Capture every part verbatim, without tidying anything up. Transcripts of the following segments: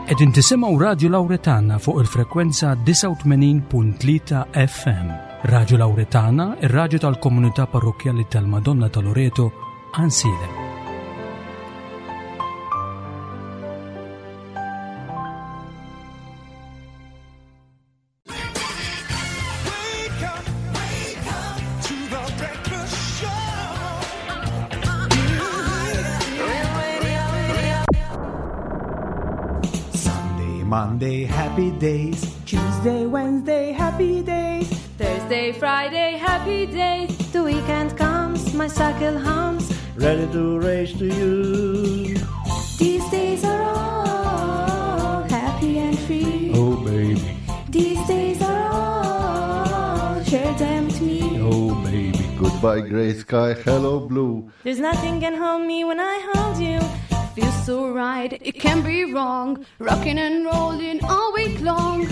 Qegħdin tisimgħu Radio Lauretana fuq il-frekwenza disgħa u tmenin punt tlieta F M. Radio Lauretana, ir-radju tal-Komunità Parrokkjali tal-Madonna ta' Loreto, Għajnsielem. Monday, happy days. Tuesday, Wednesday, happy days. Thursday, Friday, happy days. The weekend comes, my cycle hums. Ready to race to you. These days are all happy and free. Oh, baby. These days are all, share them with me. Oh, baby. Goodbye, grey sky, hello, blue. There's nothing can hold me when I hold you. Feels so right, it can't be wrong. Rocking and rolling all week long.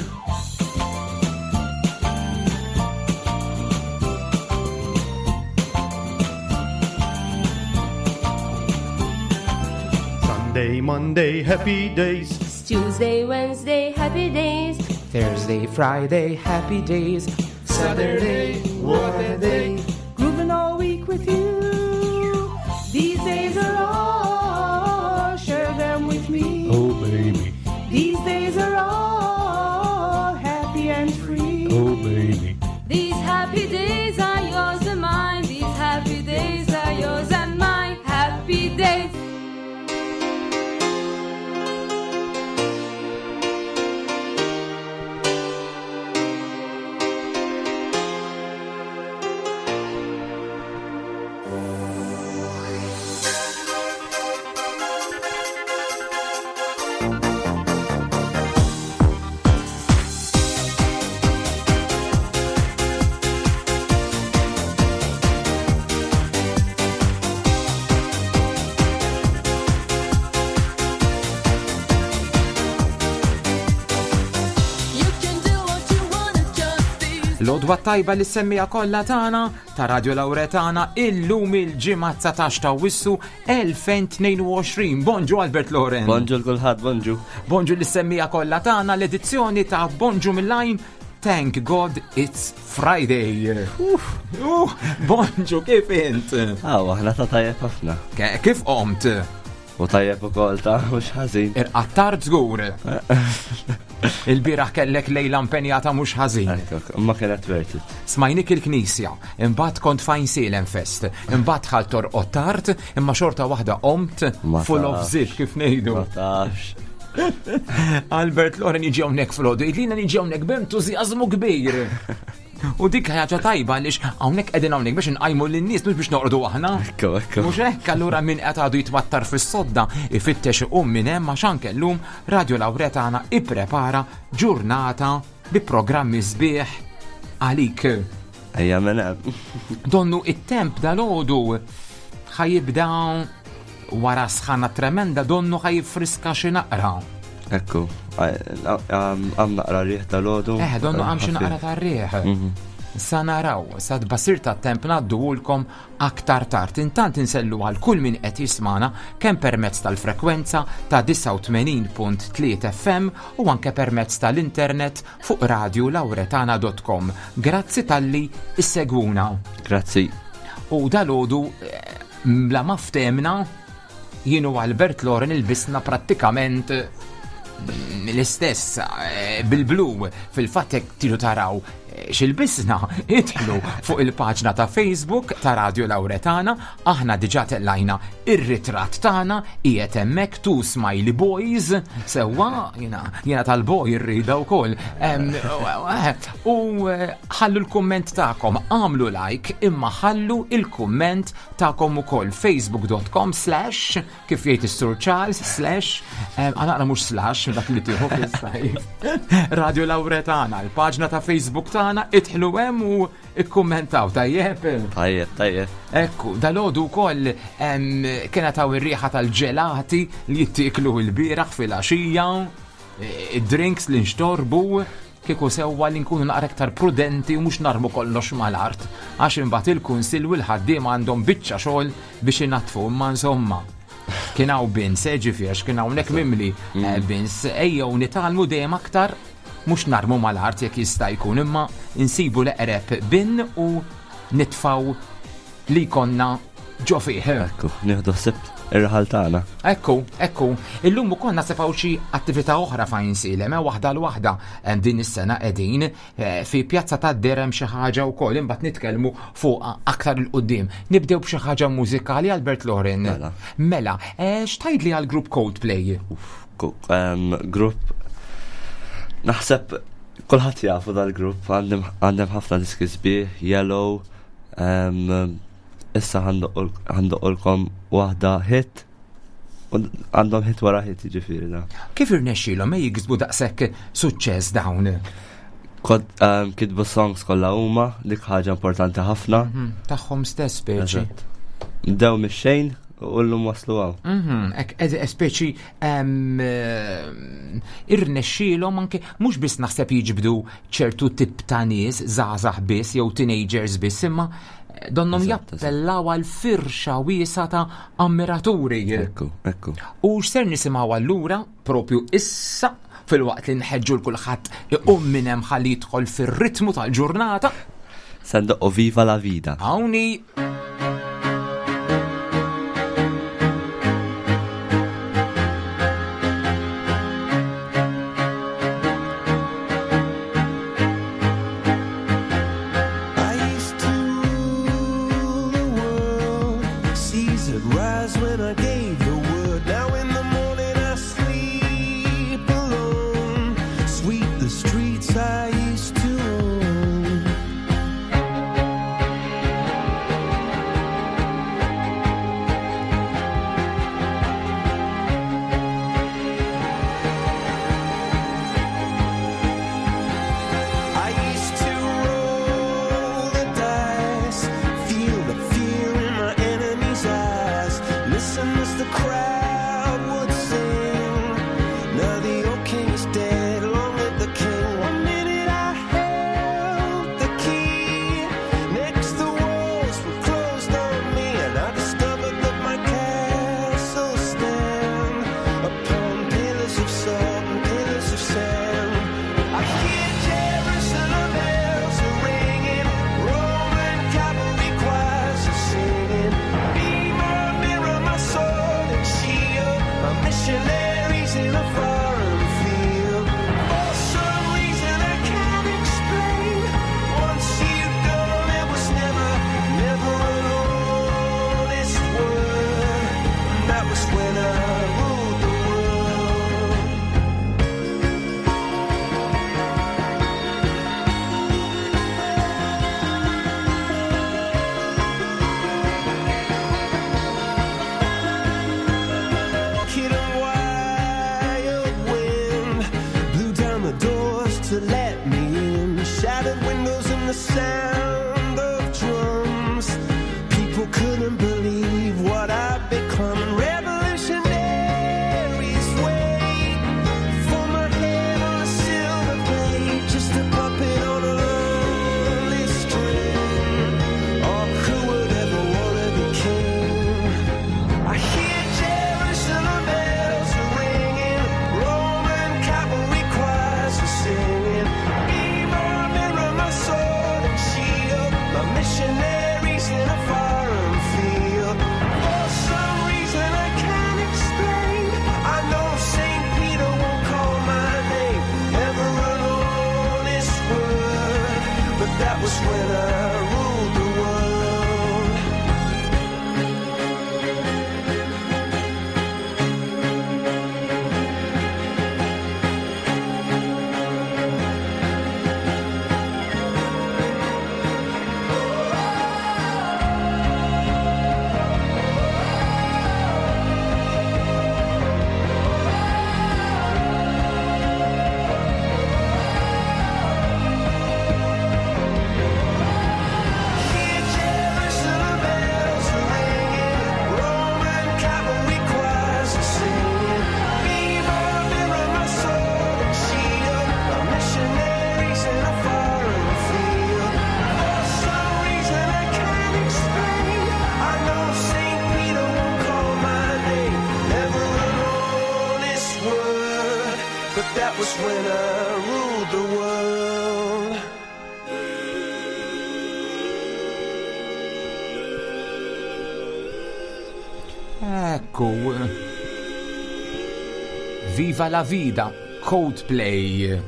Sunday, Monday, happy days. Tuesday, Wednesday, happy days. Thursday, Friday, happy days. Saturday, what a day. Grooving all week with you. These days are all, share them with me. Oh, baby. These days are all happy and free. Oh, baby. These happy days are yours and mine. These happy days are yours and mine. Happy days. L-għodwa tajba li semmija kollha tagħna ta' Radio Lauretana illum il-ġimgħa dsatax ta' Awwissu elfejn tnejn u għoxrin. Bonġu Albert Loren. Bonġu l-kulħadd, bonġu. Bonġu li semmija kollha tagħna l-edizzjoni ta' Bonġu mill-Għajn. Thank God it's Friday. Uff. Uh, bonġu, kif int? Aw, aħna ta' tajjeb ħafna. Ke-, kif qomt? U tajjeb ukoll ta' mhux ħażin. Irqattard żgur. Il-bieraħ kellek lejla impenjata mhux ħażin. Ekk, ekk, ma kienet worth it. Smajnik il-knisja, imbagħad kont fajn Sielem Fest, imbagħad ħalt torqod tard, imma xorta waħda qomt Ma full of tafx. zip kif ngħidu. Ma tafx. Albert Loren jiġi hawnhekk filgħodu, jgħidlina niġi hawnhekk b'entużjażmu kbir. U dik ħaġa tajba għaliex hawnhekk qegħdin hawnhekk biex nqajmu lin-nies mhux biex noqogħdu aħna. Ekku, ekku. Mhux hekk, allura min qed għadu jitwattar fis-sodda ifittex iqum minn hemm għax anke llum Radio Lauretana ipprepara ġurnata bi programmi sbieħ għalik. Ejja minn hemm. Donnu it-temp dal-għodu ħajibda wara sħana tremenda, donnu ħajfriska xi naqra. Ekku, għam naqra riħ tal-għodu. Eh, donnu għam xi naqra tar-riħ. Mhm. Sa naraw, sa tbassir ta' temp ngħadduhulkom aktar tard. Intant insellu għal kull min qed jismana kemm permezz tal-frekwenza ta' disgħa u tmenin punt tlieta F M u anke permezz tal-internet fuq radio lauretana dot com. Grazzi talli issegwuna. Grazzi. U dal-għodu, eh, bla ma ftemna, jien u Albert Loren ilbisna prattikament l-istess, eh, bil-blu. Fil-fatt jekk tridu taraw, eh, x'ilbisna, idħlu fuq il-paġna ta' Facebook ta' Radio Lauretana. Aħna diġà tellajna ir-ritratt tagħna, qiegħed hemmhekk two smiley boys, sewwa jiena, jiena tal-boy irrida wkoll. Em, u, eh, ħallu l-kumment tagħkom, għamlu like, imma ħallu il-kumment tagħkom ukoll facebook dot com slash, kif jgħid is-Sur Charles, slash, em, għana mhux slash, dak li tieħu fis-sajf. Radio Lauretana, il-paġna ta' Facebook tagħna, idħlu hemm u ikkummentaw, tajjeb? Tajjeb, tajjeb. Ekku, dal-għodu wkoll, em, kienet hawn ir-riħa tal-ġelati li jittieklu l-bieraħ fil-għaxija, id-drinks li nxtorbu, kieku sewwa li nkunu naqra iktar prudenti u mhux narmu kollox mal-art, għax imbagħad il-kunsill u l-ħaddiema għandhom biċċa xogħol biex inaddfu, imma insomma. Kien hawn bins, eh, ġifieri, għax kien hawnhekk mimli eh, bins, ejjew nitgħallmu dejjem aktar, mhux narmu mal-art jekk jista' jkun, imma insibu l-eqreb bin u nitfaw li konna ġo fih. Ekku, nieħdu ħsieb ir-raħal tagħna. Ekku, ekku, illum ukoll naħseb hawn xi attività oħra f'Għajnsielem, eh, waħda l waħda eh, din is-sena qegħdin eh, fi pjazza ta' derem xi ħaġa wkoll, imbagħad nitkellmu fuq aktar 'il quddiem. Nibdew b'xi ħaġa mużikali, Albert Loren. Mela. Mela, eh, x'tgħidli għal grupp Coldplay? Ku- em, Grupp naħseb kulħadd jafu dal-grupp, għandhom għandhom ħafna diski sbieħ, Yellow, em, issa ħa ndoqqulkom waħda hit, u għandhom hit wara hit ġifieri da. Kif irnexxielhom eh, jiksbu daqshekk suċċess dawn? Kod, em, kitbu songs kollha huma, dik ħaġa importanti ħafna. Mhm, Tagħhom stess speċi. Eżatt. Bdew mix-xejn u llum waslu hawn. Mhm, Ek, ed- speċi em, eh, irnexxielhom anke mhux biss naħseb jiġbdu ċertu tip ta' nies żgħażagħ biss jew teenagers biss, imma eh, donnhom Eżatt, eżatt. jappellaw għal firxa wiesa ta' ammiraturi. Ekku, ekku. U x'ser nisimgħu allura propju issa filwaqt li nħeġġu 'l kulħadd iqum minn hemm ħalli jidħol fir-ritmu tal-ġurnata. Se ndoqqu Viva la Vida. Hawnhi. I used to rule the world. Seas would rise when I gave the word. Now in the morning I sleep alone. Sweep the streets I used to own. I used to roll the dice, feel the fear in my enemy's eyes, listen as the crowd would sing. Now the old king is dead, long live the king. One minute I held the key, next the walls were closed on me, and I discovered that my castle stand upon pillars of salt and pillars of sand. I hear Jerusalem bells are ringing, Roman cavalry choirs are singing. Be my mirror, my sword and shield, my missionaries in a foreign field. For some reason I can't explain, once you'd gone, it was never, never an honest word. And that was when I ruled the world. Kid and wild wind blew down the doors to let me in. Shattered windows and the sound of drums. People couldn't believe what I'd become. Revolutionaries That's when I ruled the world. Ekku. Viva la vida, Coldplay.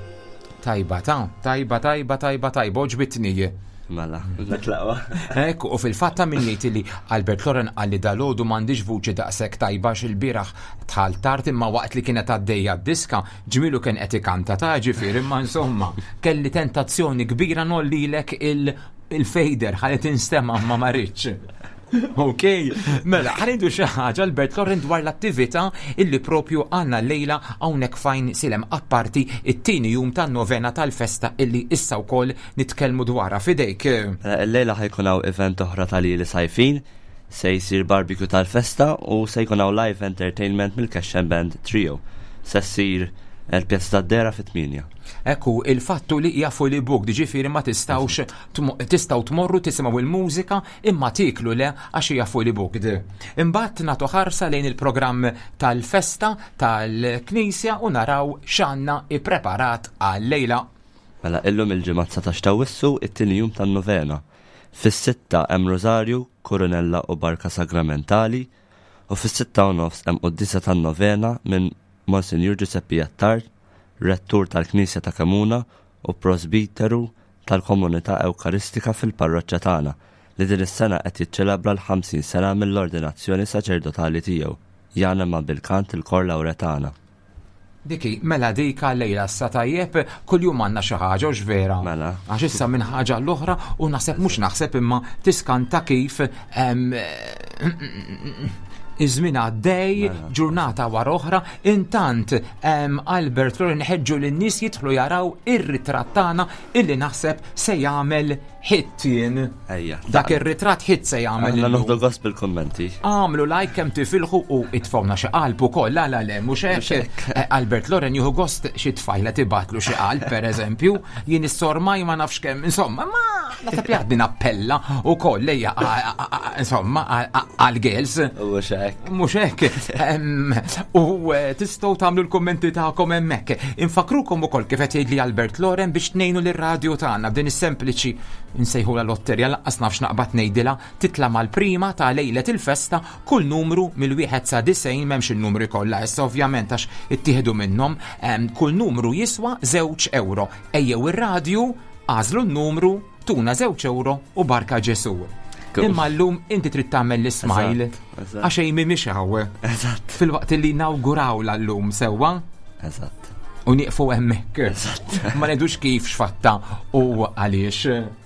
Tajba ta, tajba, tajba, tajba, tajba, oġbitni. Mela, natlaqwa. Ekku, u fil-fatta min jgħid li Albert Loren qalli dalgħodu m'għandix vuċi daqshekk tajba x'il-bieraħ tħal tard imma waqt li kienet għaddejja d-diska ġmilu kien qed ikanta ta' ġifieri imma insomma kelli tentazzjoni kbira nollilek il-fader ħalli tinstema' ma ma rridx. Ok, mela, ħanidu xi ħaġa Albert Loren dwar l-attività illi propju għandna llejla hawnhekk fajn silem apparti it-tieni jum tan-novena tal-festa illi issa wkoll nitkellmu dwarha f'idejk. Mela, illejla ħajkun hawn event oħra tal-ili sajfin, se jsir barbecue tal-festa u se jkun hawn live entertainment mill-Cash Band Trio. Se ssir il-Pjazza tad-Dera fit-tmienja. Ekku, il-fattu li hija fully booked, ġifieri ma tistgħux tistgħu tmorru tisimgħu il-mużika imma tiklu le għax hija fully booked. Imbagħad nagħtu ħarsa lejn il-programm tal-festa tal-Knisja u naraw x'għandna ippreparat għal-lejla. Mela illum il-ġimgħa dsatax ta' Awwissu it-tieni jum tan-novena. Fis-sitta hemm Rosario, Koronella u Barka Sagramentali u fis-sitta u nofs hemm quddiesa tan-novena minn Monsignor Giuseppe Attard, rettur tal-Knisja ta' Kemuna u prosbiteru tal-Komunità Ewkaristika fil-parroċċa tagħna li din is-sena qed jiċċelebra l-ħamsin sena mill-ordinazzjoni saċerdotali tiegħu. Jana ma' bil-kant il-Kor Lawretana. Diki, mela dika lejla sa tajjeb, kuljum għandna xi ħaġa u x'vera. Mela. Għax issa minn ħaġa l-oħra u naħseb mhux naħseb imma tiskanta kif iż-żmien għaddej, Mela. ġurnata wara oħra, intant Albert Loren ħeġġu lin-nies jidħlu jaraw ir-ritratt tagħna illi naħseb se jagħmel hit jien. Ejja. Dak ir-ritratt hit se jagħmel Aħna illum. noħdu gost bil-kummenti. Għamlu like kemm tifilħu u itfawna xi qalb ukoll, la la le, mhux hekk. Eh, Albert Loren jieħu gost xi tfajla tibatlu xi qalb, pereżempju, jien is-sormaj ma nafx kemm, insomma, ma naħseb li għadni nappella ukoll lejja, insomma, għal-girls. Mhux hekk. Mhux hekk. U tistgħu tagħmlu l-kummenti tagħkom hemmhekk. Infakrukom ukoll kif qed jgħidli Albert Loren biex tnejnu lir-radju tagħna b'din is-sempliċi nsejħula lotterja lanqas nafx naqbad ngħidilha titla' mal-prima ta' lejlet il-festa kull numru mill-wieħed sa disgħin m'hemmx in-numri kollha issa ovvjament għax ittieħdu minnhom, kull numru jiswa żewġ euro. Ejjew ir-radju, għażlu n-numru, tuna żewġ euro u barka Ġesu. Imma llum inti trid tagħmel l-ismile għax Amy mhix hawn. Eżatt. Filwaqt li nawgurawla llum sewwa. Eżatt. U nieqfu hemmhekk. Eżatt. Ma ngħidux kif x'fatta u għaliex.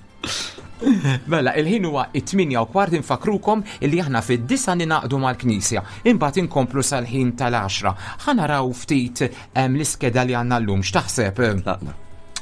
Mela, il-ħin huwa it-tminja u kwart infakrukom illi aħna fid-disa ninaqdu mal-Knisja. Imbagħad inkomplu sal-ħin tal-għaxra. Ħa naraw ftit l-iskeda li għandna llum, x'taħseb?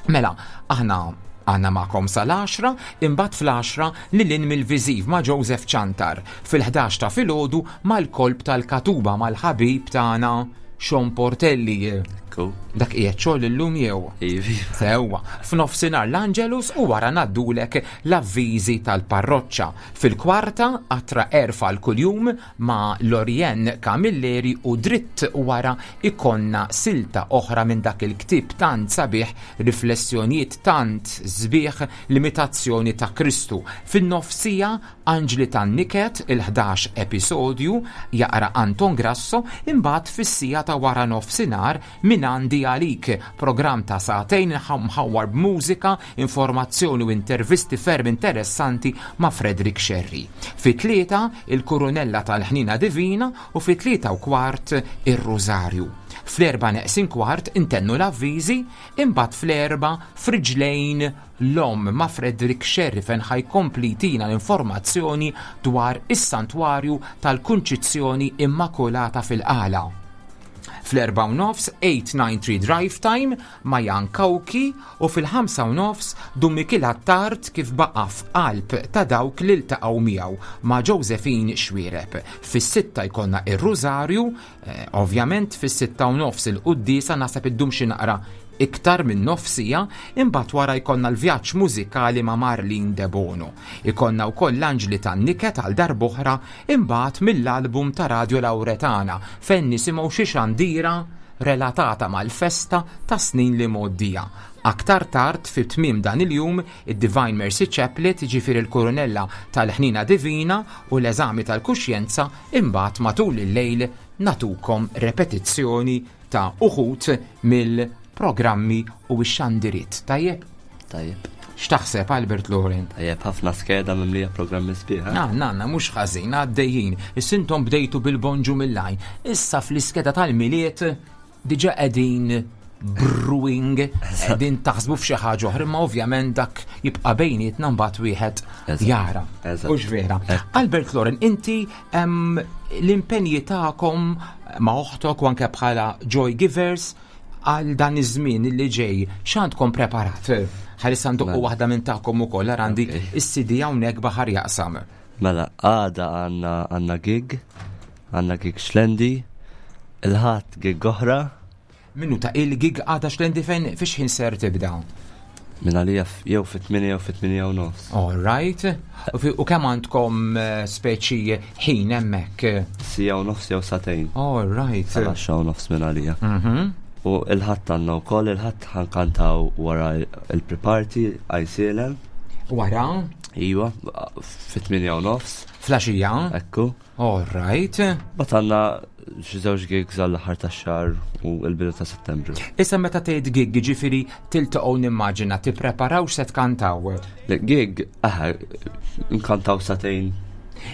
Mela, aħna għanna magħkom sal-għaxra, imbagħad fl-għaxra lil hinn mill-viżiv ma' Joseph Ċantar. Fil-ħdax ta' filgħodu mal-kolb tal-Katuba mal-ħabib tagħna Sean Portelli. Dak qiegħed xogħol illum jew? Ivi. Sewwa, f'nofsinhar l-Angelus u wara ngħaddulek l-avviżi tal-parroċċa. Fil-kwarta qatra erfa l kuljum ma' Lorien Camilleri u dritt wara ikonna silta oħra minn dak il-ktieb tant sabiħ, riflessjonijiet tant sbieħ, l-imitazzjoni ta' Kristu. Fin-nofsija Anġli tan-Niket, il-ħdax episodju, jaqra Anton Grasso, imbagħad fis-sija ta' wara nofsinhar minn għandi għalik, programm ta' sagħtejn mħawwar b'mużika, informazzjoni u intervisti ferm interessanti ma' Frederick Scerri. Fi tlieta il-Kurunella tal-Ħnina Divina u fi tlieta u kwart ir-Rużarju. Fl-erba' neqsin kwart intennu l-avviżi, imbagħad fl-erba' friġlejn l-om ma' Frederick Scerri fejn ħajkompli jtina l-informazzjoni dwar is-Santwarju tal-Kunċizzjoni Immakulata fil-Qala. Fl-erba' u nofs eight nine three Drive Time ma' Jan Kawki u fil-ħamsa u nofs Dun Mikiel Attard kif baqa' f'qalb ta' dawk li ltaqgħu miegħu ma' Josephine Xuereb. Fis-sitta jkollna ir-Rużarju, eh, ovvjament fis-sitta u nofs il-quddiesa naħseb iddum xi naqra iktar minn nofsija, imbagħad wara jkollna l-vjaġġ mużikali ma' Marlene De Bono. Ikollna wkoll l-Anġli tan-Niket għal darb'oħra imbagħad mill-album ta' Radio Lauretana fejn nisimgħu xi xandira relatata mal-festa ta' snin li mgħoddija. Aktar tard fi tmiem dan il-jum, id-Divine Mercy Chaplet, ġifieri il-Kurunella tal-Ħnina Divina u l-eżami tal-kuxjenza, imbagħad matul il-lejl natukom repetizzjoni ta' uħud mill-programmi u x-xandiriet. Tajjeb? Tajjeb. X'taħseb, Albert Loren? Tajjeb, ħafna skeda mimlija programmi sbieħ. Na, na, na, mhux ħażin, għaddejjin. Is-sintom bdejtu bil-bonġu mill-lajn. Issa fl-iskeda tal-Milied diġà qegħdin brewing, qegħdin taħsbu f'xi ħaġa oħra, imma ovvjament dak jibqa' bejnietna mbagħad wieħed jara. Hux vera? Albert Loren, inti l-impenji tagħkom ma' oħtok u anke bħala Joy Givers għal dan iż-żmien li ġej, x'għandkom preparat? Ħalissa ndoqqu waħda minn tagħkom ukoll, għandi is-C D hawnhekk baħar jaqsam. Mela, għada għandna, għandna gig, għandna gig Xlendi, il-ħadd gig oħra. Minnu ta' il-gig għada Xlendi fejn fiex ħin ser tibda? Minn għalija f-, jew fit-tmienja jew fit-tmienja u nofs. All right. U fi-, u kemm għandkom, eh, speċi ħin hemmhekk? Sija u nofs jew sagħtejn. All right. Sal-għaxra u nofs minn għalija. Mhm. U il-ħadd għandna wkoll, il-ħadd ħankantaw wara il-pre-party Għajsielem. Wara? Iva, fit-tmienja u nofs. Flaxija? Ekku. All right. Bat għandna xi żewġ gigs għall-aħħar tax-xahar u l-bidu ta' Settembru. Issa meta tgħid gig, jiġifieri tiltaqgħu nimmaġina tippreparaw x'se tkantaw? Le, gig, aha, nkantaw sagħtejn.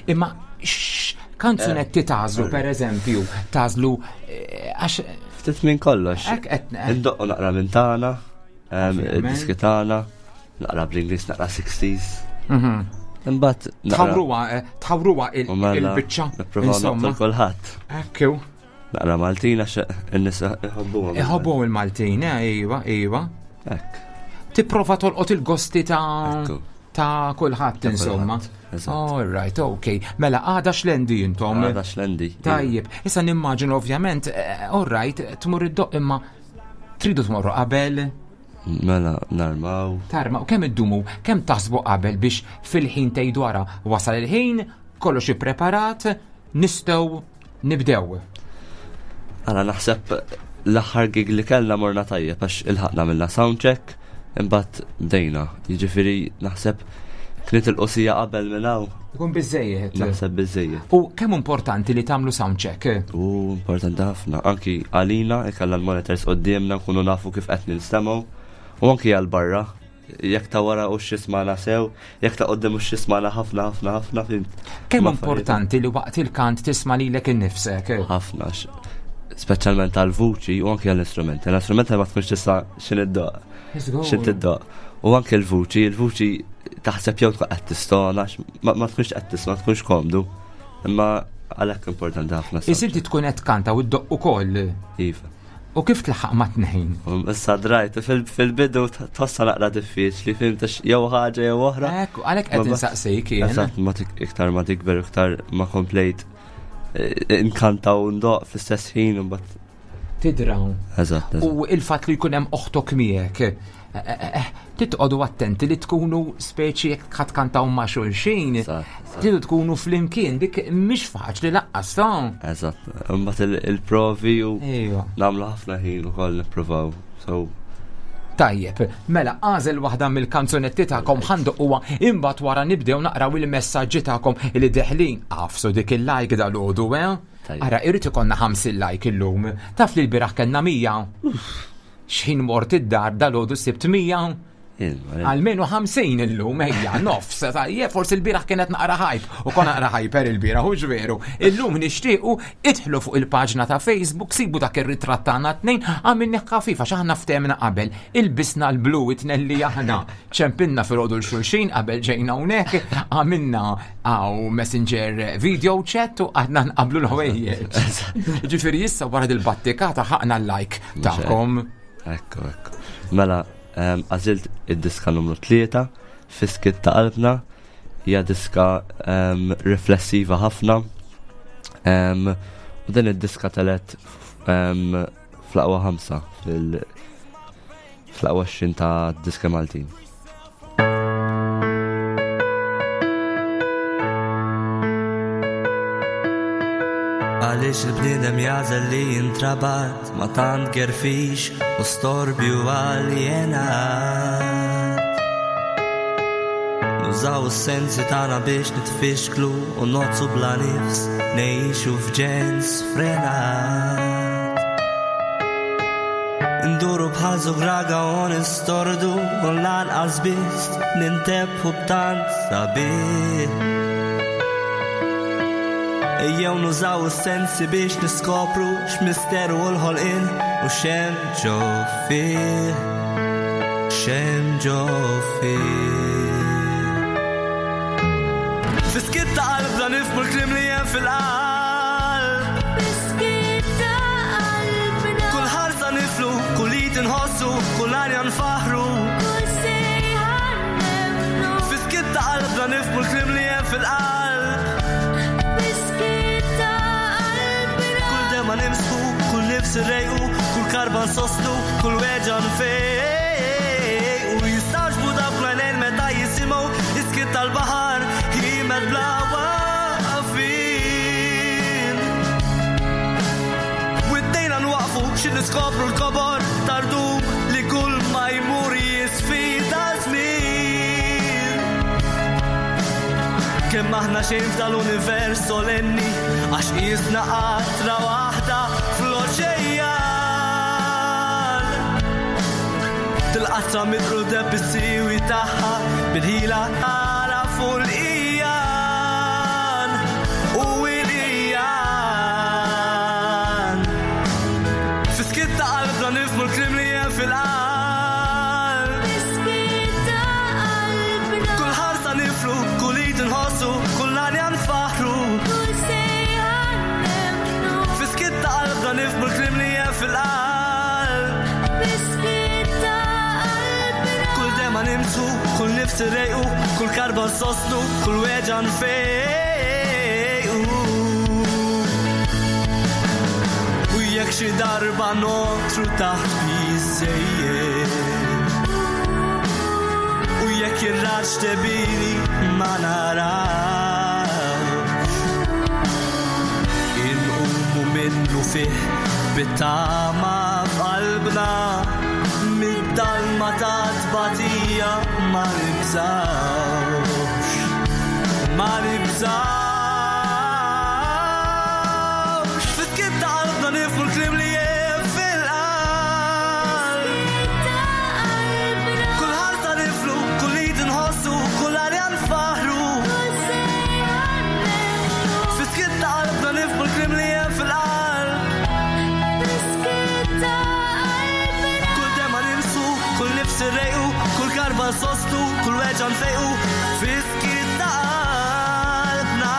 Imma x-, kanzunetti Eh, tażlu, sorry. per eżempju, tażlu, eh, għax Ftit minn kollox. Hekk qed ne- Indoqqu naqra minn tagħna, ehm, Ovvjament. id-diski tagħna, naqra bl-Ingliż, naqra sixties. Mhm. Imbagħad naqra Tħawruha, eh, tħawruha il- U mela, il-biċċa, nippruvaw insomma. naqtlu kulħadd. Ekku. Naqra Maltin għax in-nies iħobbuhom. Iħobbuhom il-Maltin, eh, iva, iva. Hekk. Tipprova tolqot il-gosti ta' Ekku. ta' kulħadd, Ta' insomma. kulħadd, eżatt. All right, ok. Mela, għada Xlendi intom. Għada Xlendi. Tajjeb, issa nimmaġinu ovvjament, eh, all right, tmur id-doq imma tridu tmorru qabel. Mela, narmaw. Tarma, u kemm iddumu, kemm taħsbu qabel biex fil-ħin tgħidu wara wasal il-ħin, kollox ippreparat, nistgħu nibdew. Għala naħseb l-aħħar gig li kellna morna tajjeb għax ilħaqna minna soundcheck, imbagħad bdejna. Jiġifieri naħseb kienet il-qosija qabel minn hawn. Ikun biżejjed. Naħseb biżejjed. U kemm importanti li tagħmlu soundcheck? U importanti ħafna, anki għalina ikella l-monitors quddiemna nkunu nafu kif qed ninstemgħu, u anki għal barra. Jekk ta' wara u x'ismana sew, jekk ta' qudiem u x'ismana ħafna, ħafna, ħafna, fhimt. Kemm Ma' importanti li waqt il-kant tisma' lilek innifsek? Ħafna, x-, speċjalment għall-vuċi u anki għall-istrumenti. L-istrumenti ma tkunx tista' x'in iddoq. Żgur. X'in tiddoq. U anki l-vuċi, il-vuċi taħseb jew tkun qed tistona, x-, ma, ma tkunx qed tisma', ma tkunx komdu. Imma għalhekk importanti ħafna Is inti tkun qed tkanta u ddoq ukoll. Iva. U kif tlaħħaq ma' tnejn? U issa drajt, fil-, fil-bidu t-, tħossha naqra diffiċli, fhimt, għax jew ħaġa jew oħra. Ekku, għalhekk qed Ma bas- insaqsik jien. Eżatt, ma tik-, iktar ma tikber, iktar ma komplejt, eh, inkanta u ndoq fl-istess ħin u mbagħad Tidra. Eżatt, eżatt. U il-fatt li jkun hemm oħtok miegħek, eh, eh, eh, titqogħdu attenti li tkunu speċi jekk ħadd kantaw ma' xulxin, Eżatt, eżatt. tridu tkunu flimkien, dik mhix faċli lanqas, ta'. Eżatt, imbagħad il-, il-provi u Ejwa. nagħmlu ħafna ħin ukoll nippruvaw. So Tajjeb, mela għażel waħda mill-kanzunetti tagħkom ħandoqquha, imbagħad wara nibdew naqraw il-messaġġi tagħkom li deħlin. Għafsu dik il-like dal-għodu, eh? Tajjeb. Ara, irid ikollna ħamsin like illum. Taf li l-bieraħ kellna mija. X'ħin mort id-dar dal-għodu sibt mija. Ilma, ilma. Almenu ħamsin illum, ejja, nofs, tajjeb, forsi l-bieraħ kienet naqra hype, u kon naqra hyper il-bieraħ, hux veru. Illum nixtiequ idħlu fuq il-paġna ta' Facebook, sibu dak ir-ritratt tagħna tnejn, għamilni ħafifa għax aħna ftehmna qabel, ilbisna l-blu it-tnejn li aħna, ċempilna filgħodu l-xulxin qabel ġejna hawnhekk, għamilna għaw messenger video chat u għadna nqablu l-ħwejjeġ. Ġifieri issa wara dil-battikata ħaqna l-like tagħkom. Ekku, ekku. Mela, em, għażilt id-diska numru tlieta, Fiskit ta' qalbna, hija diska, em, riflessiva ħafna. Em, u din id-diska telet, em, fl-aqwa ħamsa fil-, fl-aqwa għoxrin ta' diska Maltin. Għaliex Għaliex il-bniedem jagħżel li jintrabat ma tant gerfix u storbju aljenat. Nużaw is-sensi tagħna biex nitfixklu u nozzu bla nifs, ngħixu f'ġens frenat. Nduru bħal żugraga u nistordu u lanqas biss nintebħu b'tant sabiħ. Ejjew nużaw is-sensi biex niskopru x'misteru u l-ħolqien u x'hemm ġo fih, x'hemm ġo fih. Fiskiet ta' qalbna nifhmu l-kliem li hemm fil-qalb. Fiskiet ta' qalbna. Kull ħarsa niflu, kull id inħossu, kull arja nfaħru. Kull sejħa nemmnu. Fiskiet ta' qalbna nifhmu l-kliem li hemm fil-qalb. Fiskiet ta' qalbna. Kull dema nimsħu, kull nifs irrejqu, kull karba nsostnu, kull weġgħa nfejqu. Jistagħġbu dawk l-għajnejn meta jisimgħu is-skiet tal-baħar ħiemed bla waqfien. Widdejna nwaqfu xi niskopru l-kobor tardum li kull ma jmur jisfida żmien. Kemm aħna xejn f'dal-univers solenni, għax qisna qatra waħda fl-oċejan. Til-qatra mitruda bis-siwi tagħha bil-ħila tara fuq l-ijan u l-ijan. Fiskiet ta' qalbna nifhmu l-kliem li hemm fil-qalb. Fiskiet ta' qalbna. Kull ħarsa niflu, kull id inħossu, kull għanja nfaħru. Kull sejħa nemmnu. Fiskiet ta' qalbna nifhmu l-kliem li hemm fil-qalb. Fiskiet ta' qalbna. Kull dema nimsu, kull nifs irrejqu, kull karba nsostnu, kull weġgħa nfejqu. U jekk xi darba notru taħt biżejjed, u jekk ir-raġ tebini ma narawx, inqumu minnu fih bit-tama f'qalbna, mid-dalma ta' tbatija ma nibżgħux, ma nibżgħux. Fiskiet ta' qalbna nifhmu l-kliem li hemm fil-qalb. Fiskiet ta' qalbna. Kull ħarsa niflu, kull id inħossu, kull arja nfaħru. Kull sejħa nemmnu. Fiskiet ta' qalbna nifhmu l-kliem li hemm fil-qalb. Fiskiet ta' qalbna. Kull dema nimsu, kull nifs irrejqu, kull karba nsostnu, kull weġgħa nfejqu. Fiskiet ta' qalbna.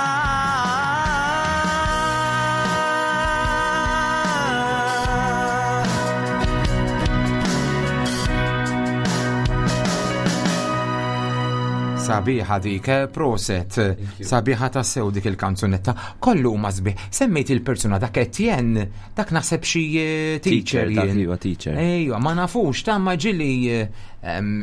Sabiħa dik, eh, proset. Sabiħa ta' sew dik il-kanzunetta. Kollu huma sbieħ. Semmejt il-persuna dak Etienne, dak naħseb xi eh, teacher Teacher, dak jien. iva, teacher. Ejwa, ma nafux, ta' ma ġili eh, em,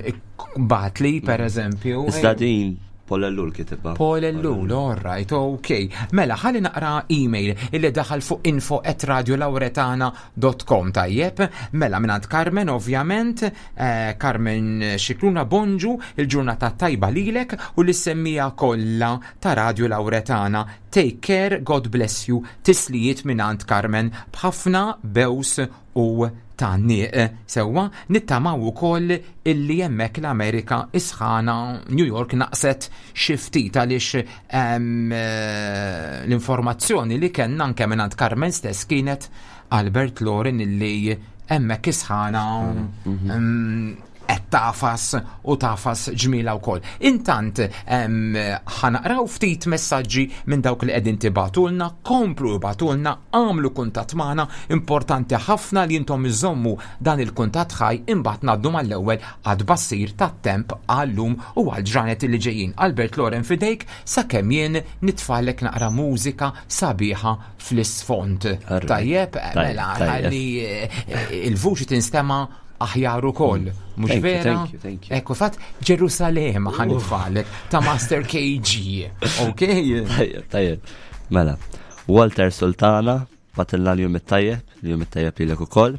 batli per eżempju. Iżda din Paul Ellul kitibha. Paul Ellul, all right, ok. Mela, ħalli naqra email illi daħal fuq info at radiolauretana dot com, tajjeb. Mela, mingħand Carmen, ovvjament, eh, Carmen Xikluna, bonġu, il-ġurnata tajba lilek u l-semmija kollha ta' Radio Lauretana. Take care, God bless you, tislijiet mingħand Carmen b'ħafna bews u tanniq. Sewwa, nittamaw ukoll illi hemmhekk l-Amerika isħana New York naqset xi ftit għaliex, em, eh, l-informazzjoni li kellna anke mingħand Carmen stess kienet Albert Loren illi hemmhekk isħana, Mhm. em, qed tafas u tafas ġmila wkoll. Intant, em, ħanaqraw ftit messaġġi minn dawk li qegħdin tibatulna, komplu ibatulna, għamlu kuntatt magħna, importanti ħafna li intom iżommu dan il-kuntatt ħaj, imbagħad ngħaddu mal-ewwel għad bassir tat-temp għallum u għal ġranet li ġejjin. Albert Loren fidejk sakemm jien nitfalek naqra mużika sabiħa fl-isfond. Alright. Tajjeb, Tajjeb, mela, tajjeb. ħalli, eh, il-vuċi tinstema' aħjar ukoll. Mhux Thank you, vera? thank you, thank you. Ekku, fatt Ġerusalem ħa nitfalek ta' Master K G. Ok? Tajjeb, tajjeb. Mela, Walter Sultana Bagħtilna l-jum it-tajjeb, l-jum it-tajjeb lilek ukoll.